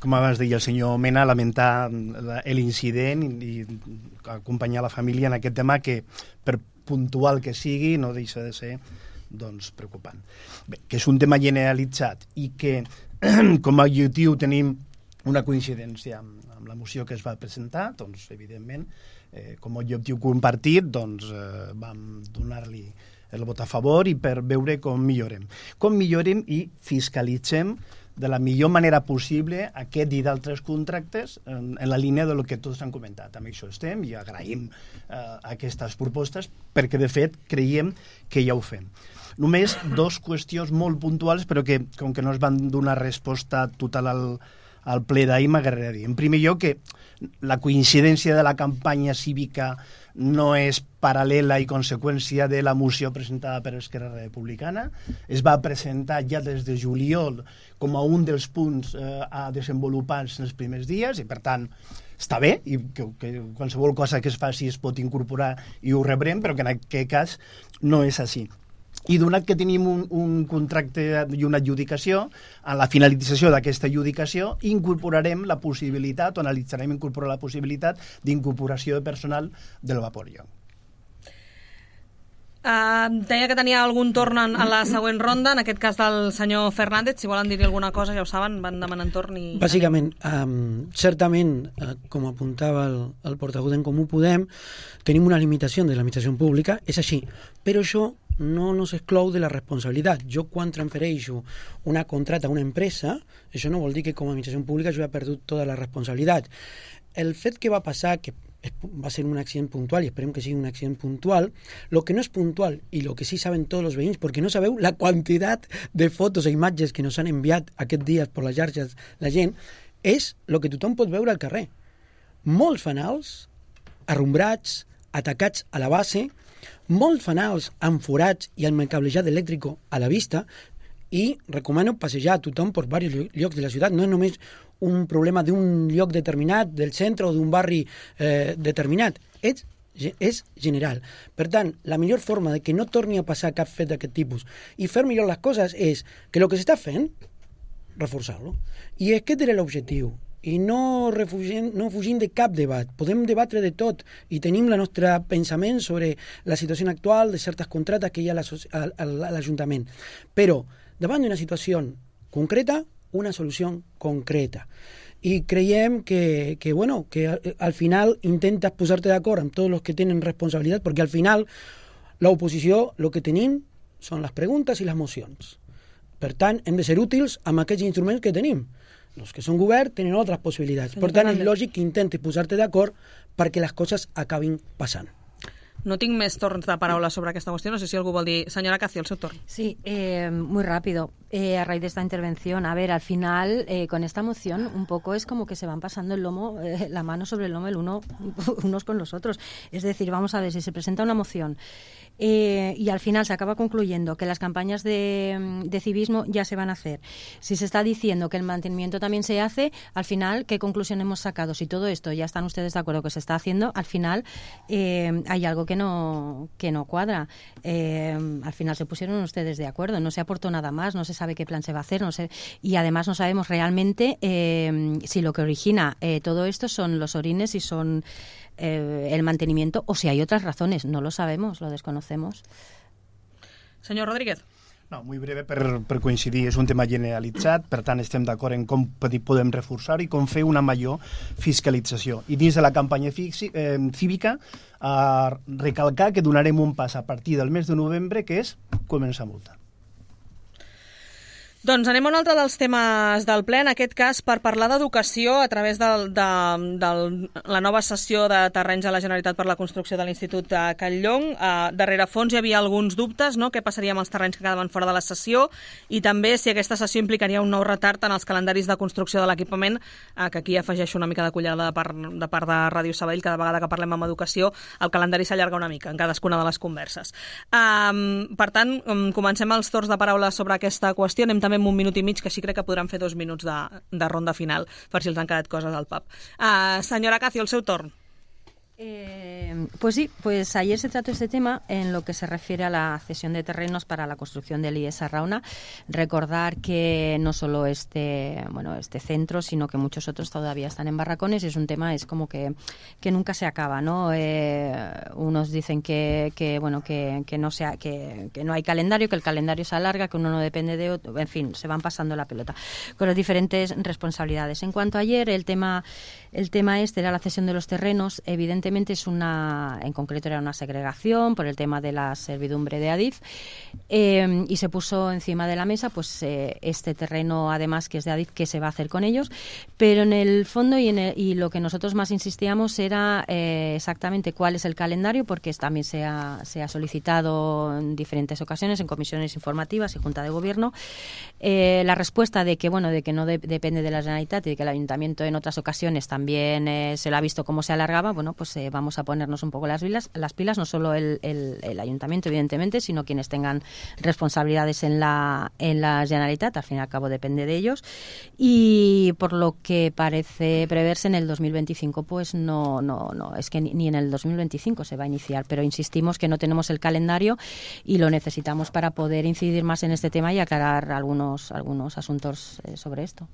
Com abans deia el senyor Mena, lamentar l'incident i acompanyar la família en aquest tema que, per puntual que sigui, no deixa de ser doncs, preocupant. Bé, que és un tema generalitzat i que com a objectiu tenim una coincidència amb, amb la moció que es va presentar, doncs, evidentment, eh, com a objectiu compartit, doncs, eh, vam donar-li el vot a favor i per veure com millorem. Com millorem i fiscalitzem de la millor manera possible aquest i d'altres contractes en, en la línia del que tots han comentat. Amb això estem i agraïm eh, aquestes propostes perquè, de fet, creiem que ja ho fem. Només dos qüestions molt puntuals, però que, com que no es van donar resposta total al, al ple d'ahir, m'agradaria dir. En primer lloc, que la coincidència de la campanya cívica no és paral·lela i conseqüència de la moció presentada per Esquerra Republicana. Es va presentar ja des de juliol com a un dels punts eh, a desenvolupar en els primers dies i, per tant, està bé i que, que qualsevol cosa que es faci es pot incorporar i ho rebrem, però que en aquest cas no és així. I donat que tenim un, un contracte i una adjudicació, a la finalització d'aquesta adjudicació incorporarem la possibilitat, o analitzarem incorporar la possibilitat d'incorporació de personal del Vaporeon. Uh, deia que tenia algun torn en, en la següent ronda, en aquest cas del senyor Fernández. Si volen dir-hi alguna cosa, ja ho saben, van demanant torn i... Bàsicament, um, certament, uh, com apuntava el, el portaveu d'en Comú Podem, tenim una limitació de l'administració pública, és així, però això no nos exclou de la responsabilitat. Jo, quan transfereixo una contracta a una empresa, això no vol dir que com a administració pública jo he perdut tota la responsabilitat. El fet que va passar, que va ser un accident puntual i esperem que sigui un accident puntual, lo que no és puntual i lo que sí saben tots els veïns, perquè no sabeu la quantitat de fotos i imatges que nos han enviat aquests dies per les xarxes la gent, és el que tothom pot veure al carrer. Molts fanals arrombrats, atacats a la base, molts fanals amb forats i amb el cablejat elèctric a la vista, i recomano passejar a tothom per diversos llocs de la ciutat. No és només un problema d'un lloc determinat, del centre o d'un barri eh, determinat. És, és general. Per tant, la millor forma de que no torni a passar cap fet d'aquest tipus i fer millor les coses és que el que s'està fent, reforçar-lo. I aquest era l'objectiu. I no, refugim, no fugim de cap debat. Podem debatre de tot i tenim el nostre pensament sobre la situació actual de certes contractes que hi ha a l'Ajuntament. Però, davant d'una situació concreta, una solució concreta. I creiem que, que, bueno, que al final intentes posar-te d'acord amb tots els que tenen responsabilitat, perquè al final l'oposició el que tenim són les preguntes i les mocions. Per tant, hem de ser útils amb aquests instruments que tenim. Els que són govern tenen altres possibilitats. Per tant, és lògic que intentes posar-te d'acord perquè les coses acabin passant. No tinc més torns de paraula sobre aquesta qüestió. No sé si algú vol dir... Senyora Cazzi, el seu torn. Sí, eh, muy rápido. Eh, a raíz de esta intervención, a ver, al final, eh, con esta moción, un poco es como que se van pasando el lomo, eh, la mano sobre el lomo el uno, unos con los otros. Es decir, vamos a ver, si se presenta una moción eh, y al final se acaba concluyendo que las campañas de, de civismo ya se van a hacer. Si se está diciendo que el mantenimiento también se hace, al final, ¿qué conclusión hemos sacado? Si todo esto ya están ustedes de acuerdo que se está haciendo, al final eh, hay algo que no, que no cuadra. Eh, al final se pusieron ustedes de acuerdo, no se aportó nada más, no se sabe qué plan se va a hacer, no sé, y además no sabemos realmente eh, si lo que origina eh, todo esto son los orines, si son eh, el mantenimiento o si hay otras razones. No lo sabemos, lo desconocemos. Señor Rodríguez. No, muy breve per, per coincidir, és un tema generalitzat, per tant estem d'acord en com podem reforçar i com fer una major fiscalització. I dins de la campanya fixi, eh, cívica, a recalcar que donarem un pas a partir del mes de novembre, que és començar a multar. Doncs anem a un altre dels temes del ple, en aquest cas per parlar d'educació a través de, de, de la nova cessió de terrenys a la Generalitat per la construcció de l'Institut de Catllong. Uh, darrere fons hi havia alguns dubtes, no?, què passaria amb els terrenys que quedaven fora de la cessió i també si aquesta cessió implicaria un nou retard en els calendaris de construcció de l'equipament, uh, que aquí afegeixo una mica de cullada de part de, part de Ràdio Sabadell. Cada vegada que parlem amb educació el calendari s'allarga una mica en cadascuna de les converses. Uh, per tant, um, comencem els torns de paraula sobre aquesta qüestió. Anem també amb un minut i mig, que així crec que podran fer dos minuts de, de ronda final, per si els han quedat coses al pub. Uh, senyora Cacio, el seu torn. Eh, pues sí, pues ayer se trató este tema en lo que se refiere a la cesión de terrenos para la construcción del I E S Arrauna. Recordar que no solo este, bueno, este centro, sino que muchos otros todavía están en barracones y es un tema, es como que, que nunca se acaba, ¿no? Eh, unos dicen que, que bueno, que, que no sea, que, que no hay calendario, que el calendario se alarga, que uno no depende de otro, en fin, se van pasando la pelota con las diferentes responsabilidades. En cuanto a ayer, el tema, el tema este era la cesión de los terrenos. Evidentemente es una, en concreto era una segregación por el tema de la servidumbre de Adif, eh, y se puso encima de la mesa pues eh, este terreno, además, que es de Adif, qué se va a hacer con ellos, pero en el fondo y, en el, y lo que nosotros más insistíamos era eh, exactamente cuál es el calendario, porque también se ha, se ha solicitado en diferentes ocasiones en comisiones informativas y Junta de Gobierno, eh, la respuesta de que bueno de que no de, depende de la Generalitat y de que el Ayuntamiento en otras ocasiones también eh, se lo ha visto cómo se alargaba. Bueno, pues eh, vamos a ponernos un poco las pilas, las pilas no solo el, el, el Ayuntamiento, evidentemente, sino quienes tengan responsabilidades en la, en la Generalitat. Al fin y al cabo depende de ellos. Y por lo que parece preverse en el dos mil veinticinco, pues no, no, no, es que ni, ni en el dos mil veinticinco se va a iniciar, pero insistimos que no tenemos el calendario y lo necesitamos para poder incidir más en este tema y aclarar algunos, algunos asuntos eh, sobre esto.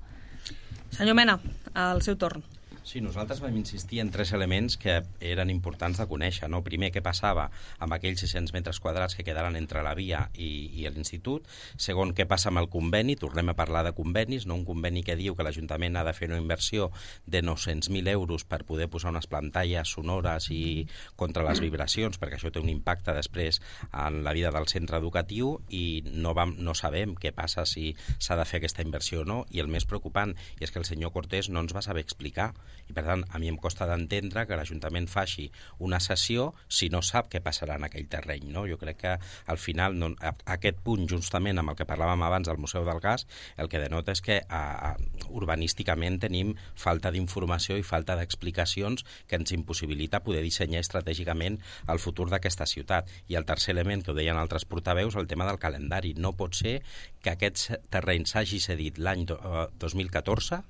Senyor Mena, al seu torn. Sí, nosaltres vam insistir en tres elements que eren importants de conèixer, no? Primer, què passava amb aquells sis-cents metres quadrats que quedaran entre la via i, i l'institut. Segon, què passa amb el conveni? Tornem a parlar de convenis, no? Un conveni que diu que l'Ajuntament ha de fer una inversió de nou-cents mil euros per poder posar unes pantalles sonores i contra les vibracions, perquè això té un impacte després en la vida del centre educatiu i no, vam, no sabem què passa si s'ha de fer aquesta inversió o no. I el més preocupant és que el senyor Cortés no ens va saber explicar. I, per tant, a mi em costa d'entendre que l'Ajuntament faci una sessió si no sap què passarà en aquell terreny, no? Jo crec que, al final, no, a, aquest punt, justament amb el que parlàvem abans del Museu del Gas, el que denota és que a, a, urbanísticament tenim falta d'informació i falta d'explicacions que ens impossibilita poder dissenyar estratègicament el futur d'aquesta ciutat. I el tercer element, que ho deien altres portaveus, el tema del calendari. No pot ser que aquest terreny s'hagi cedit l'any dos mil catorze,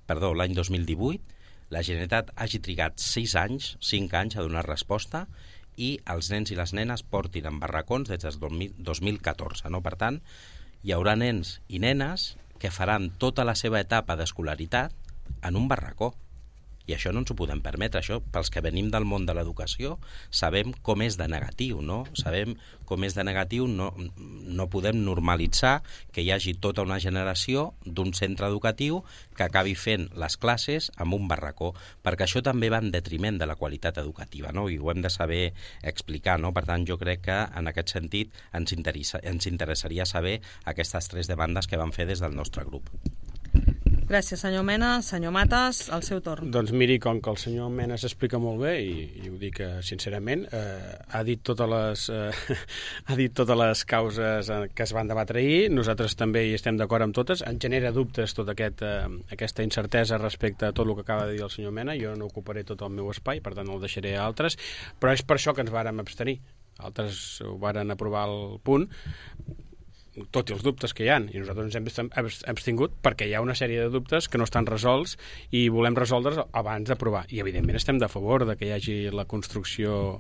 perdó, l'any dos mil divuit, la Generalitat hagi trigat sis anys, cinc anys a donar resposta i els nens i les nenes portin en barracons des del dos mil catorze. No? Per tant, hi haurà nens i nenes que faran tota la seva etapa d'escolaritat en un barracó. I això no ens ho podem permetre. Això, pels que venim del món de l'educació, sabem com és de negatiu, no? Sabem com és de negatiu, no, no podem normalitzar que hi hagi tota una generació d'un centre educatiu que acabi fent les classes amb un barracó, perquè això també va en detriment de la qualitat educativa, no? I ho hem de saber explicar, no? Per tant, jo crec que en aquest sentit ens, interessa, ens interessaria saber aquestes tres demandes que vam fer des del nostre grup. Gràcies, senyor Mena. Senyor Matas, el seu torn. Doncs miri, com que el senyor Mena s'explica molt bé, i, i ho dic eh, sincerament, eh, ha, dit totes les, eh, ha dit totes les causes que es van debatre ahir, nosaltres també hi estem d'acord amb totes, ens genera dubtes tota aquest, eh, aquesta incertesa respecte a tot el que acaba de dir el senyor Mena, jo no ocuparé tot el meu espai, per tant el deixaré a altres, però és per això que ens vàrem abstenir. Altres ho varen aprovar al punt, tot i els dubtes que hi ha, i nosaltres ens hem abstingut perquè hi ha una sèrie de dubtes que no estan resolts i volem resoldre's abans d'aprovar. I, evidentment, estem de favor de que hi hagi la construcció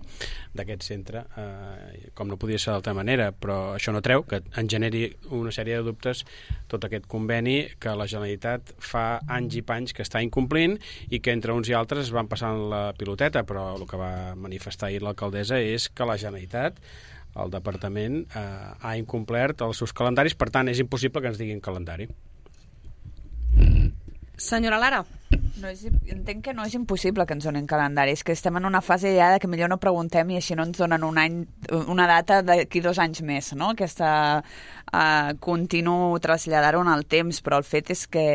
d'aquest centre, eh, com no podia ser d'altra manera, però això no treu que en generi una sèrie de dubtes tot aquest conveni que la Generalitat fa anys i panys que està incomplint i que entre uns i altres van passant la piloteta, però el que va manifestar ahir l'alcaldessa és que la Generalitat, el departament, eh, ha incomplert els seus calendaris, per tant és impossible que ens diguin calendari. Senyora Lara. No és, entenc que no és impossible que ens donin calendari, és que estem en una fase ja que millor no preguntem i així no ens donen un any, una data d'aquí dos anys més, no? Aquesta uh, continuo traslladar-ho en el temps, però el fet és que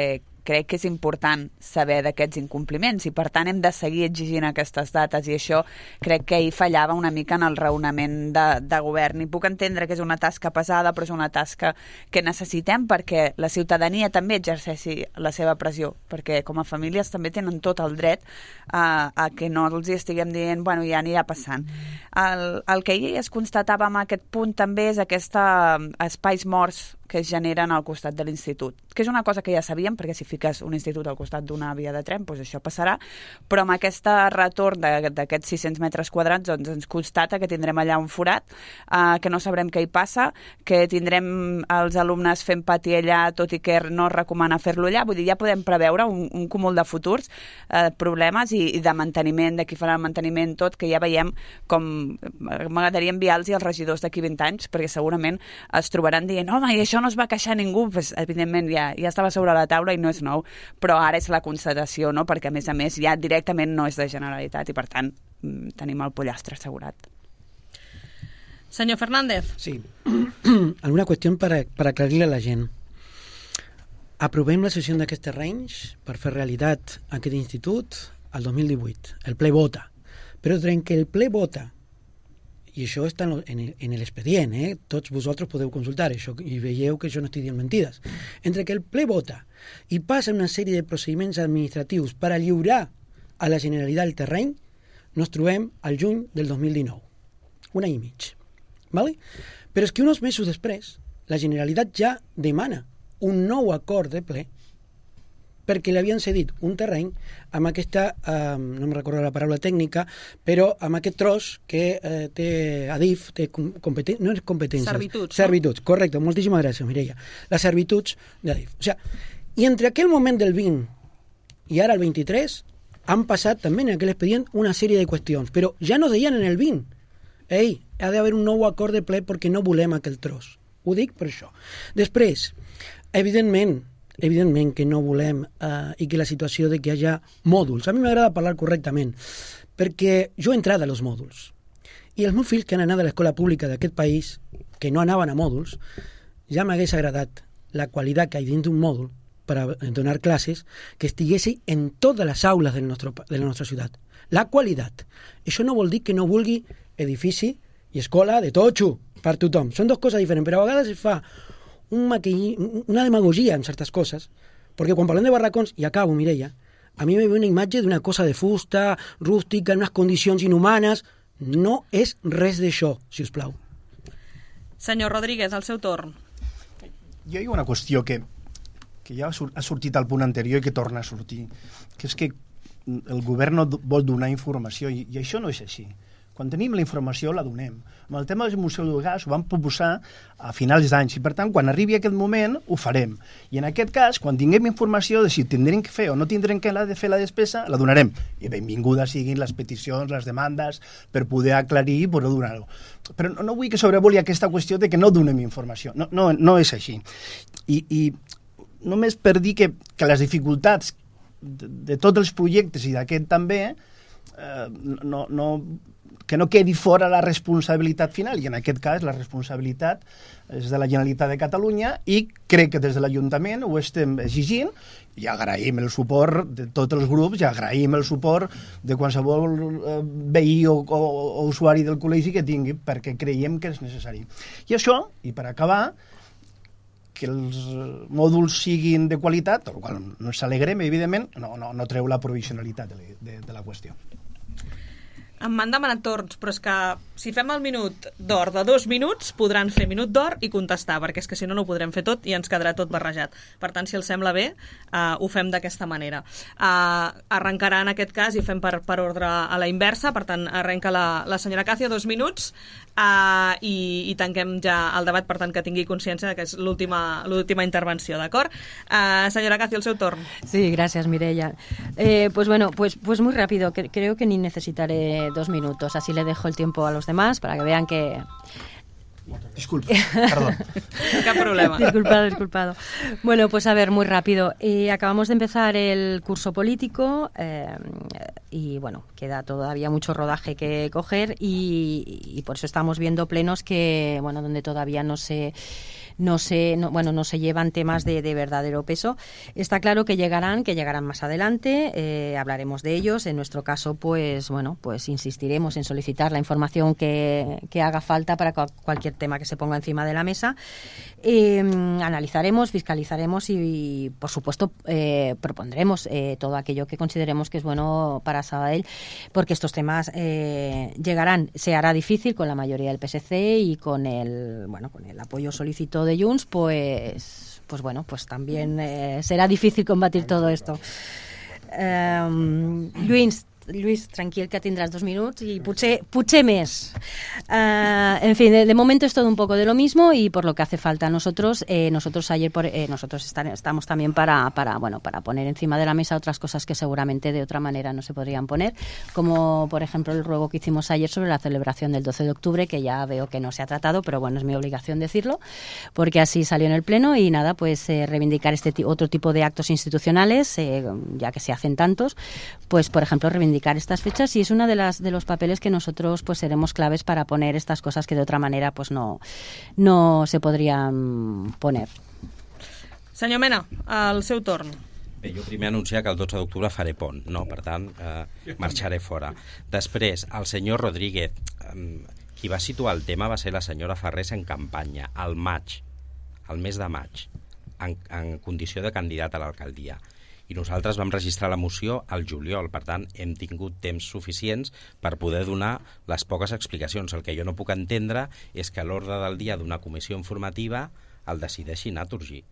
crec que és important saber d'aquests incompliments i per tant hem de seguir exigint aquestes dates i això crec que hi fallava una mica en el raonament de, de govern i puc entendre que és una tasca pesada però és una tasca que necessitem perquè la ciutadania també exerceixi la seva pressió perquè com a famílies també tenen tot el dret a, a que no els estiguem dient bueno, ja anirà passant. El, el que ahir es constatava en aquest punt també és aquesta espais morts que es generen al costat de l'institut, que és una cosa que ja sabíem, perquè si fiques un institut al costat d'una via de tren, doncs això passarà, però amb aquest retorn d'aquests sis-cents metres quadrats doncs ens constata que tindrem allà un forat, eh, que no sabrem què hi passa, que tindrem els alumnes fent pati allà, tot i que no es recomana fer-lo allà, vull dir, ja podem preveure un, un cúmul de futurs eh, problemes i, i de manteniment, de qui farà el manteniment, tot, que ja veiem com m'agradaria enviar-los als regidors d'aquí vint anys, perquè segurament es trobaran dient, home, i això no es va queixar ningú, pues, evidentment ja, ja estava sobre la taula i no és nou, però ara és la constatació, no? Perquè a més a més ja directament no és de Generalitat i per tant tenim el pollastre assegurat. Senyor Fernández. Sí, alguna qüestió per, per aclarir a la gent. Aprovem la sessió d'aquests terrenys per fer realitat aquest institut el dos mil divuit. El ple vota. Però durant que el ple vota i això està en l'expedient, eh? Tots vosaltres podeu consultar això i veieu que jo no estic dient mentides. Entre que el ple vota i passa una sèrie de procediments administratius per a lliurar a la Generalitat el terreny, nos trobem al juny del dos mil dinou. Un any i mig. ¿Vale? Però és que uns mesos després la Generalitat ja demana un nou acord de ple perquè li havien cedit un terreny amb aquesta, eh, no em recordo la paraula tècnica, però amb aquest tros que eh, té Adif, té competència, no és competència. Servituds. Servituds, no? Correcte, moltíssimes gràcies, Mireia. Les servituds d'Adif. O sea, i entre aquell moment del vint i ara el vint-i-tres han passat també en aquell expedient una sèrie de qüestions, però ja no deien en el vint. Ei, ha d'haver un nou acord de ple perquè no volem aquell tros. Ho dic per això. Després, evidentment, evidentment que no volem eh, i que la situació de que hi hagi mòduls. A mi m'agrada parlar correctament, perquè jo he entrat a los mòduls. I els meus fills que han anat a l'escola pública d'aquest país, que no anaven a mòduls, ja m'hagués agradat la qualitat que hi ha dins d'un mòdul per a donar classes que estiguessi en totes les aules del nostre, de la nostra ciutat. La qualitat. Això no vol dir que no vulgui edifici i escola de totxo per tothom. Són dues coses diferents, però a vegades es fa un maquilli, una demagogia en certes coses, perquè quan parlem de barracons, i acabo, Mireia, a mi me ve una imatge d'una cosa de fusta, rústica, en unes condicions inhumanes. No és res d'això, si us plau. Senyor Rodríguez, al seu torn. Jo hi ha una qüestió que, que ja ha sortit al punt anterior i que torna a sortir, que és que el govern no vol donar informació, i, i això no és així. Quan tenim la informació la donem. Amb el tema del Museu del Gas ho vam proposar a finals d'anys i per tant quan arribi aquest moment ho farem. I en aquest cas, quan tinguem informació de si tindrem que fer o no tindrem que fer la despesa, la donarem. I benvingudes siguin les peticions, les demandes per poder aclarir i poder donar-ho. Però no, no vull que sobrevoli aquesta qüestió de que no donem informació. No, no, no és així. I, i només per dir que, que les dificultats de, de tots els projectes i d'aquest també eh, no... no que no quedi fora la responsabilitat final, i en aquest cas la responsabilitat és de la Generalitat de Catalunya i crec que des de l'Ajuntament ho estem exigint i agraïm el suport de tots els grups i agraïm el suport de qualsevol eh, veí o, o, o usuari del col·legi que tingui, perquè creiem que és necessari. I això, i per acabar, que els mòduls siguin de qualitat, el qual no ens alegrem, evidentment, no, no, no treu la provisionalitat de, de, de la qüestió. Em m'han demanat torns, però és que si fem el minut d'or de dos minuts, podran fer minut d'or i contestar, perquè és que si no, no ho podrem fer tot i ens quedarà tot barrejat. Per tant, si els sembla bé, uh, ho fem d'aquesta manera. Uh, arrencarà en aquest cas i fem per, per ordre a la inversa, per tant, arrenca la, la senyora Càcia, dos minuts, uh, i, i tanquem ja el debat, per tant, que tingui consciència que és l'última l'última intervenció, d'acord? Uh, senyora Càcia, el seu torn. Sí, gracias, Mireia. Eh, pues bueno, pues, pues muy rápido, que, creo que ni necesitaré dos minutos, así le dejo el tiempo a los demás para que vean que Disculpa, perdón. Cap problema. Disculpado, disculpado. Bueno, pues a ver, muy rápido. Eh, acabamos de empezar el curso político eh, y, bueno, queda todavía mucho rodaje que coger y, y por eso estamos viendo plenos que, bueno, donde todavía no se... no se, no, bueno, no se llevan temas de, de verdadero peso. Está claro que llegarán, que llegarán más adelante, eh, hablaremos de ellos. En nuestro caso, pues bueno, pues insistiremos en solicitar la información que, que haga falta para cu- cualquier tema que se ponga encima de la mesa. Eh, analizaremos, fiscalizaremos y, y por supuesto, eh, propondremos eh, todo aquello que consideremos que es bueno para Sabadell, porque estos temas eh, llegarán. Se hará difícil con la mayoría del P S C y con el, bueno, con el apoyo solicitado de Junts, pues, pues bueno, pues también eh, será difícil combatir todo esto. Um, Lluís, Lluís, tranquil, que tindràs dos minuts y potser, potser més. Uh, en fin, de, de momento es todo un poco de lo mismo y por lo que hace falta nosotros, eh, nosotros ayer por, eh, nosotros estar, estamos también para, para, bueno, para poner encima de la mesa otras cosas que seguramente de otra manera no se podrían poner, como por ejemplo el ruego que hicimos ayer sobre la celebración del doce de octubre, que ya veo que no se ha tratado, pero bueno, es mi obligación decirlo, porque así salió en el Pleno y nada, pues eh, reivindicar este t- otro tipo de actos institucionales, eh, ya que se hacen tantos, pues por ejemplo reivindicar estas fechas y es una de las de los papeles que nosotros pues seremos claves para poner estas cosas que de otra manera pues no, no se podrían poner. Senyor Mena, el seu torn. Bé, jo primer anunciar que el dotze d'octubre faré pont, no? Per tant, eh, marxaré fora. Després, el senyor Rodríguez, eh, qui va situar el tema va ser la senyora Farrés en campanya, al maig, al mes de maig, en, en condició de candidat a l'alcaldia. I nosaltres vam registrar la moció al juliol, per tant, hem tingut temps suficients per poder donar les poques explicacions. El que jo no puc entendre és que a l'ordre del dia d'una comissió informativa el decideixi Naturgy,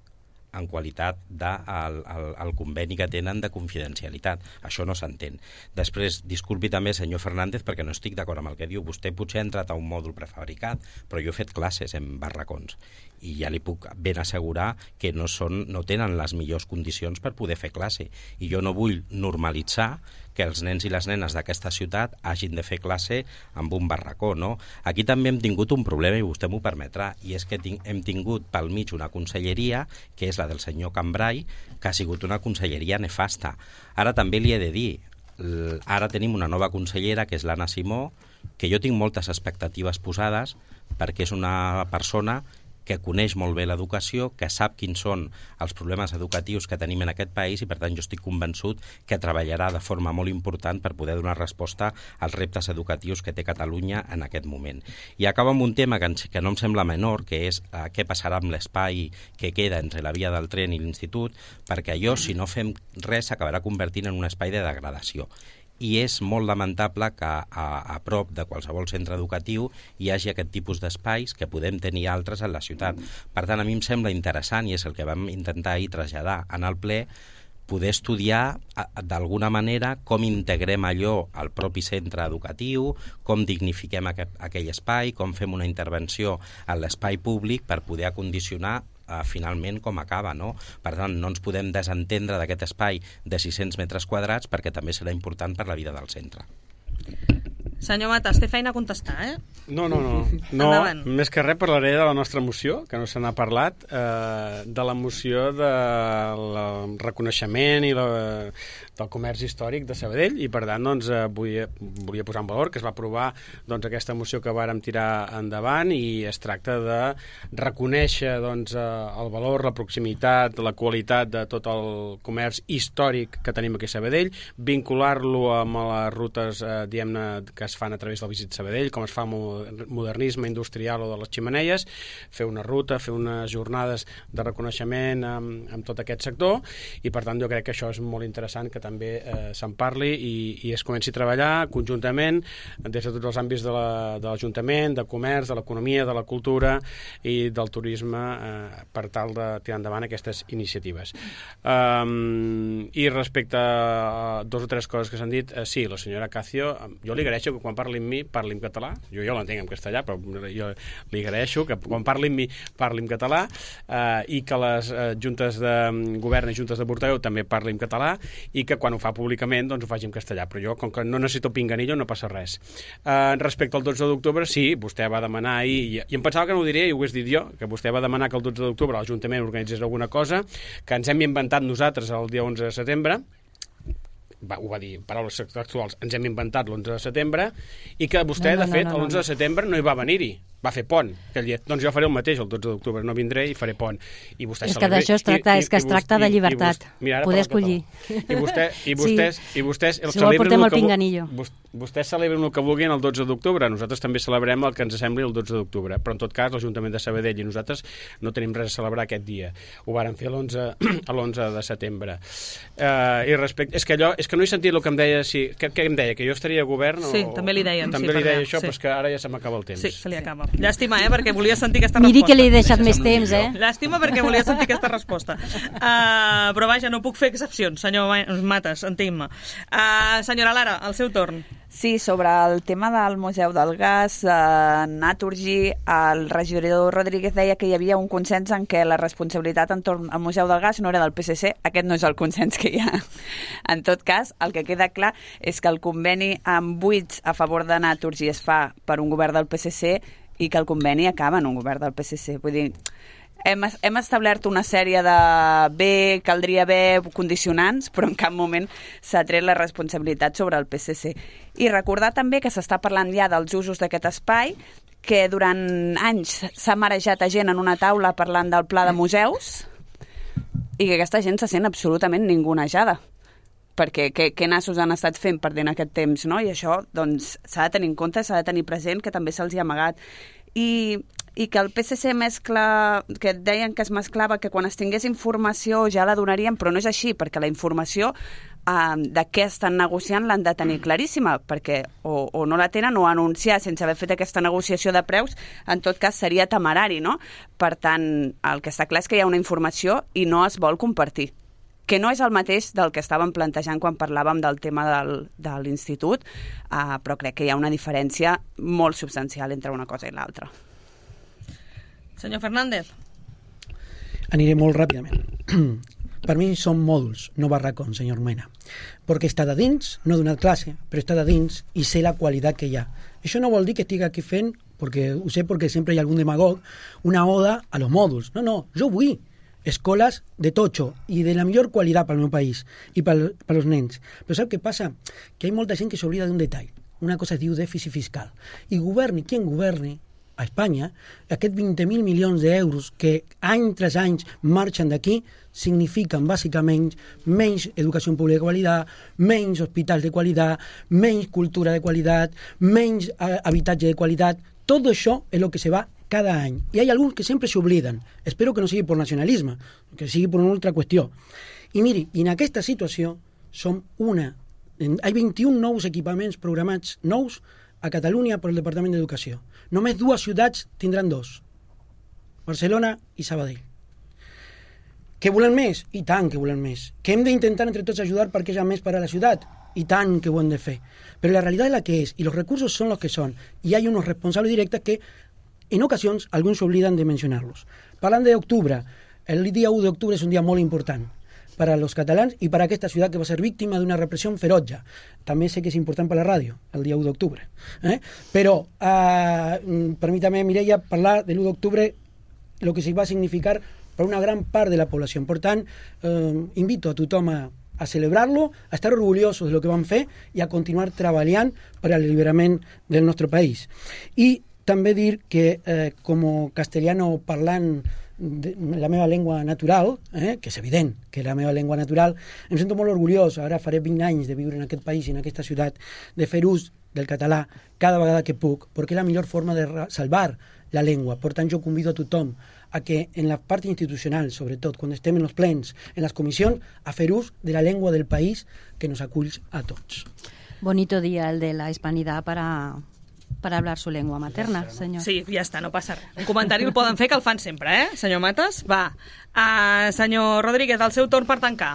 en qualitat del de, el conveni que tenen de confidencialitat. Això no s'entén. Després, disculpi també, senyor Fernández, perquè no estic d'acord amb el que diu. Vostè potser ha entrat a un mòdul prefabricat, però jo he fet classes en barracons i ja li puc ben assegurar que no, són, no tenen les millors condicions per poder fer classe. I jo no vull normalitzar que els nens i les nenes d'aquesta ciutat hagin de fer classe amb un barracó, no? Aquí també hem tingut un problema, i vostè m'ho permetrà, i és que ting- hem tingut pel mig una conselleria, que és la del senyor Cambrai, que ha sigut una conselleria nefasta. Ara també li he de dir, l- ara tenim una nova consellera, que és l'Anna Simó, que jo tinc moltes expectatives posades, perquè és una persona que coneix molt bé l'educació, que sap quins són els problemes educatius que tenim en aquest país i, per tant, jo estic convençut que treballarà de forma molt important per poder donar resposta als reptes educatius que té Catalunya en aquest moment. I acaba amb un tema que, ens, que no em sembla menor, que és eh, què passarà amb l'espai que queda entre la via del tren i l'institut, perquè allò, si no fem res, s'acabarà convertint en un espai de degradació. I és molt lamentable que a, a prop de qualsevol centre educatiu hi hagi aquest tipus d'espais, que podem tenir altres en la ciutat. Per tant, a mi em sembla interessant, i és el que vam intentar ahir traslladar en el ple, poder estudiar d'alguna manera com integrem allò al propi centre educatiu, com dignifiquem aquest, aquell espai, com fem una intervenció en l'espai públic per poder acondicionar Uh, finalment com acaba, no? Per tant, no ens podem desentendre d'aquest espai de sis-cents metres quadrats perquè també serà important per la vida del centre. Senyor Matas, té feina a contestar, eh? No, no, no. no més que res parlaré de la nostra moció, que no se n'ha parlat, eh, de la moció del reconeixement i la, del comerç històric de Sabadell, i per tant doncs, eh, volia, volia posar en valor que es va aprovar doncs, aquesta moció que vàrem tirar endavant, i es tracta de reconèixer doncs, el valor, la proximitat, la qualitat de tot el comerç històric que tenim aquí a Sabadell, vincular-lo amb les rutes eh, diguem-ne, que es fan a través del Visit Sabadell, com es fa amb modernisme industrial o de les ximeneies, fer una ruta, fer unes jornades de reconeixement amb, amb tot aquest sector, i per tant jo crec que això és molt interessant que també eh, se'n parli i, i es comenci a treballar conjuntament des de tots els àmbits de l'Ajuntament, de, de comerç, de l'economia, de la cultura i del turisme eh, per tal de tirar endavant aquestes iniciatives. Um, I respecte a dos o tres coses que s'han dit, eh, sí, la senyora Cacio, jo li agraeixo que quan parli amb mi parli en català, jo ja l'entenc en castellà, però jo li agraeixo que quan parli amb mi parli en català, eh, i que les eh, juntes de govern i juntes de portaveu també parli en català, i que quan ho fa públicament doncs ho faci en castellà, però jo, com que no necessito pinganillo, no passa res. Eh, respecte al dotze d'octubre, sí, vostè va demanar ahir, i, i em pensava que no ho diria, i ho hagués dit jo, que vostè va demanar que el dotze d'octubre l'Ajuntament organitzés alguna cosa, que ens hem inventat nosaltres el dia onze de setembre, va, ho va dir, paraules textuals, ens hem inventat l'onze de setembre, i que vostè, no, no, de fet, no, no, no. l'onze de setembre no hi va venir-hi, va fer pont aquell dia. Doncs jo faré el mateix el dotze d'octubre, no vindré i faré pont. I vostè és que d'això es tracta, i, i, és que es tracta de llibertat, i, i, i poder escollir. I, vostè, i vostès, sí. i vostès el si vol portem el pinganillo. Vostès celebren el que vulguin el dotze d'octubre, nosaltres també celebrem el que ens sembli el dotze d'octubre, però en tot cas l'Ajuntament de Sabadell i nosaltres no tenim res a celebrar aquest dia. Ho vàrem fer l'onze de setembre. Uh, I respecte... És que allò, és que no he sentit el que em deia, si, què, què em deia, que jo estaria a govern? Sí, o... també li deien. També sí, li deia això, sí. però és que ara ja se m'acaba el temps. Sí, se li acaba. Llàstima, eh, perquè volia sentir aquesta Miri resposta. Miri que li he deixat més temps, eh? Llàstima perquè volia sentir aquesta resposta. Uh, però vaja, no puc fer excepcions, senyor Matas, entenc-me. Uh, senyora Lara, el seu torn. Sí, sobre el tema del Museu del Gas, eh, Naturgy, el regidor Rodríguez deia que hi havia un consens en què la responsabilitat entorn al Museu del Gas no era del P S C. Aquest no és el consens que hi ha. En tot cas, el que queda clar és que el conveni amb buits a favor de Naturgy es fa per un govern del P S C i que el conveni acaba en un govern del P S C. Vull dir, hem, hem establert una sèrie de bé, caldria haver condicionants, però en cap moment s'ha tret la responsabilitat sobre el P S C. I recordar també que s'està parlant ja dels usos d'aquest espai, que durant anys s'ha marejat a gent en una taula parlant del pla de museus i que aquesta gent se sent absolutament ningunejada, perquè què, què nassos han estat fent perdent aquest temps, no? I això doncs s'ha de tenir en compte, s'ha de tenir present que també se'ls hi ha amagat. I, i que el P S C mescla, que deien que es mesclava, que quan es tingués informació ja la donarien, però no és així, perquè la informació eh, de què estan negociant l'han de tenir claríssima, perquè o, o no la tenen o anunciar sense haver fet aquesta negociació de preus, en tot cas seria temerari, no? Per tant, el que està clar és que hi ha una informació i no es vol compartir, que no és el mateix del que estàvem plantejant quan parlàvem del tema del, de l'institut, uh, però crec que hi ha una diferència molt substancial entre una cosa i l'altra. Senyor Fernández. Aniré molt ràpidament. Per mi són mòduls, no barracons, senyor Mena. Perquè està de dins, no he donat classe, però està de dins i sé la qualitat que hi ha. Això no vol dir que estigui aquí fent, perquè ho sé perquè sempre hi ha algun demagog, una oda a los mòduls. No, no, jo vull escoles de totxo i de la millor qualitat pel meu país i per, per als nens. Però sap què passa? Que hi ha molta gent que s'oblida d'un detall. Una cosa es diu dèficit fiscal. I governi qui en governi a Espanya, aquests vint mil milions d'euros que any tras any marxen d'aquí signifiquen bàsicament menys educació pública de qualitat, menys hospitals de qualitat, menys cultura de qualitat, menys eh, habitatge de qualitat. Tot això és el que se va cada any. I hi ha alguns que sempre s'obliden. Espero que no sigui per nacionalisme, que sigui per una altra qüestió. I miri, en aquesta situació som una... Hi ha vint-i-un nous equipaments programats nous a Catalunya per el Departament d'Educació. Només dues ciutats tindran dos. Barcelona i Sabadell. Que volen més? I tant que volen més. Que hem d'intentar entre tots ajudar perquè hi ha més per a la ciutat? I tant que ho hem de fer. Però la realitat és la que és, i els recursos són els que són. I hi ha uns responsables directes que en ocasions alguns s'obliden de mencionar-los. Parlant d'octubre, el dia u d'octubre és un dia molt important per als catalans i per a aquesta ciutat que va ser víctima d'una repressió ferotge. També sé que és important per la ràdio, el dia u d'octubre. Eh? Però, eh, permítame, Mireia, parlar de l'u d'octubre, el que sí va significar per una gran part de la població. Per tant, eh, invito a tothom a, a celebrar-lo, a estar orgullosos de lo que van fer i a continuar treballant per l'alliberament del nostre país. I també dir que, eh, com castellano parlant de la meva llengua natural, eh, que és evident que és la meva llengua natural, em sento molt orgullós, ara faré vint anys de viure en aquest país i en aquesta ciutat, de fer ús del català cada vegada que puc, perquè és la millor forma de salvar la llengua. Per tant, jo convido a tothom a que en la part institucional, sobretot quan estem en els plens, en les comissions, a fer ús de la llengua del país que nos acull a tots. Bonito día el de la hispanidad para... para hablar su lengua materna, senyor. Sí, ja està, no passa res. Un comentari el poden fer, que el fan sempre, eh, senyor Matas? Va. Uh, senyor Rodríguez, el seu torn per tancar.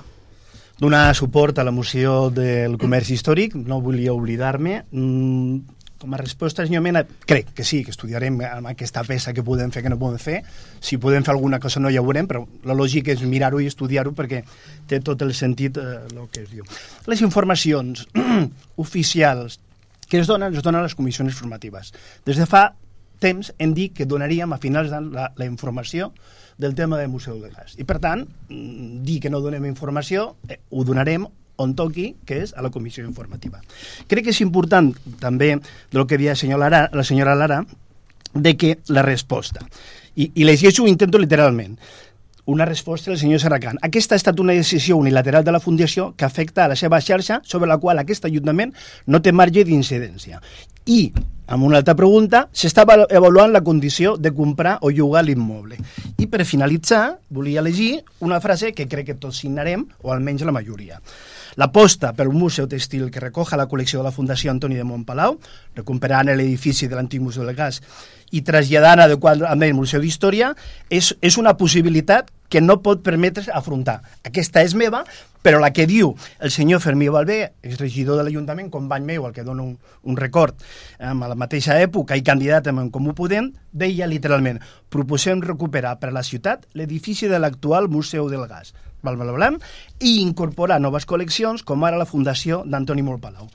Donar suport a la moció del comerç històric, no volia oblidar-me. Mm, com a resposta, senyor Mena, crec que sí, que estudiarem amb aquesta peça que podem fer, que no podem fer. Si podem fer alguna cosa no ja ho veurem, però la lògica és mirar-ho i estudiar-ho perquè té tot el sentit eh, el que es diu. Les informacions oficials que es donen, es donen a les comissions formatives. Des de fa temps hem dit que donaríem a finals d'any la, la informació del tema del Museu del Gas. I per tant, dir que no donem informació, eh, ho donarem on toqui, que és a la comissió informativa. Crec que és important, també, del que deia la senyora Lara, la senyora Lara, de que la resposta, i, i llegeixo, ho intento literalment, una resposta del senyor Serracant. Aquesta ha estat una decisió unilateral de la Fundació que afecta a la seva xarxa, sobre la qual aquest Ajuntament no té marge d'incidència. I, amb una altra pregunta, s'està avaluant la condició de comprar o llogar l'immoble. I per finalitzar, volia llegir una frase que crec que tots signarem, o almenys la majoria. L'aposta per un museu textil que recoja la col·lecció de la Fundació Antoni de Montpalau, recuperant l'edifici de l'antic Museu del Gas i traslladant adequadament el Museu d'Història, és, és una possibilitat que no pot permetre's afrontar. Aquesta és meva, però la que diu el senyor Fermí Balbé, exregidor de l'Ajuntament, company meu, al que dono un, un record, en la mateixa època i candidat en Comú Podem, deia literalment: proposem recuperar per a la ciutat l'edifici de l'actual Museu del Gas, bla, bla, bla, i incorporar noves col·leccions, com ara la Fundació d'Antoni Montpalau.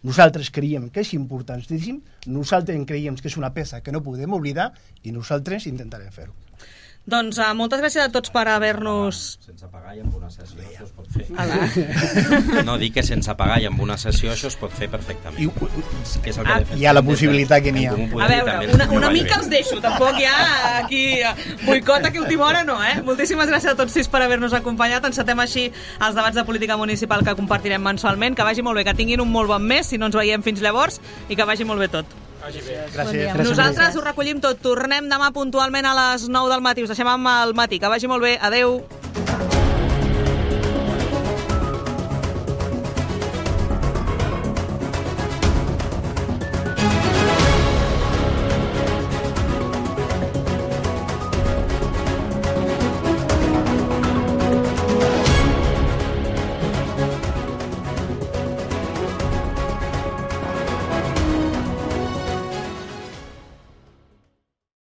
Nosaltres creiem que és importantíssim, nosaltres creiem que és una peça que no podem oblidar i nosaltres intentarem fer-ho. Doncs uh, moltes gràcies a tots per haver-nos... Sense pagar i amb una sessió això es pot fer. No, dic que sense pagar i amb una sessió això es pot fer perfectament. I, que és el que ah, hi ha la possibilitat que n'hi ha. A veure, una, una mica els deixo, tampoc hi ha aquí boicot aquí a última hora, no, eh? Moltíssimes gràcies a tots sis per haver-nos acompanyat. Encetem així els debats de política municipal que compartirem mensualment. Que vagi molt bé, que tinguin un molt bon mes, si no ens veiem fins llavors, i que vagi molt bé tot. Gràcies. Nosaltres ho recollim tot. Tornem demà puntualment a les nou del matí. Us deixem amb el matí. Que vagi molt bé. Adeu.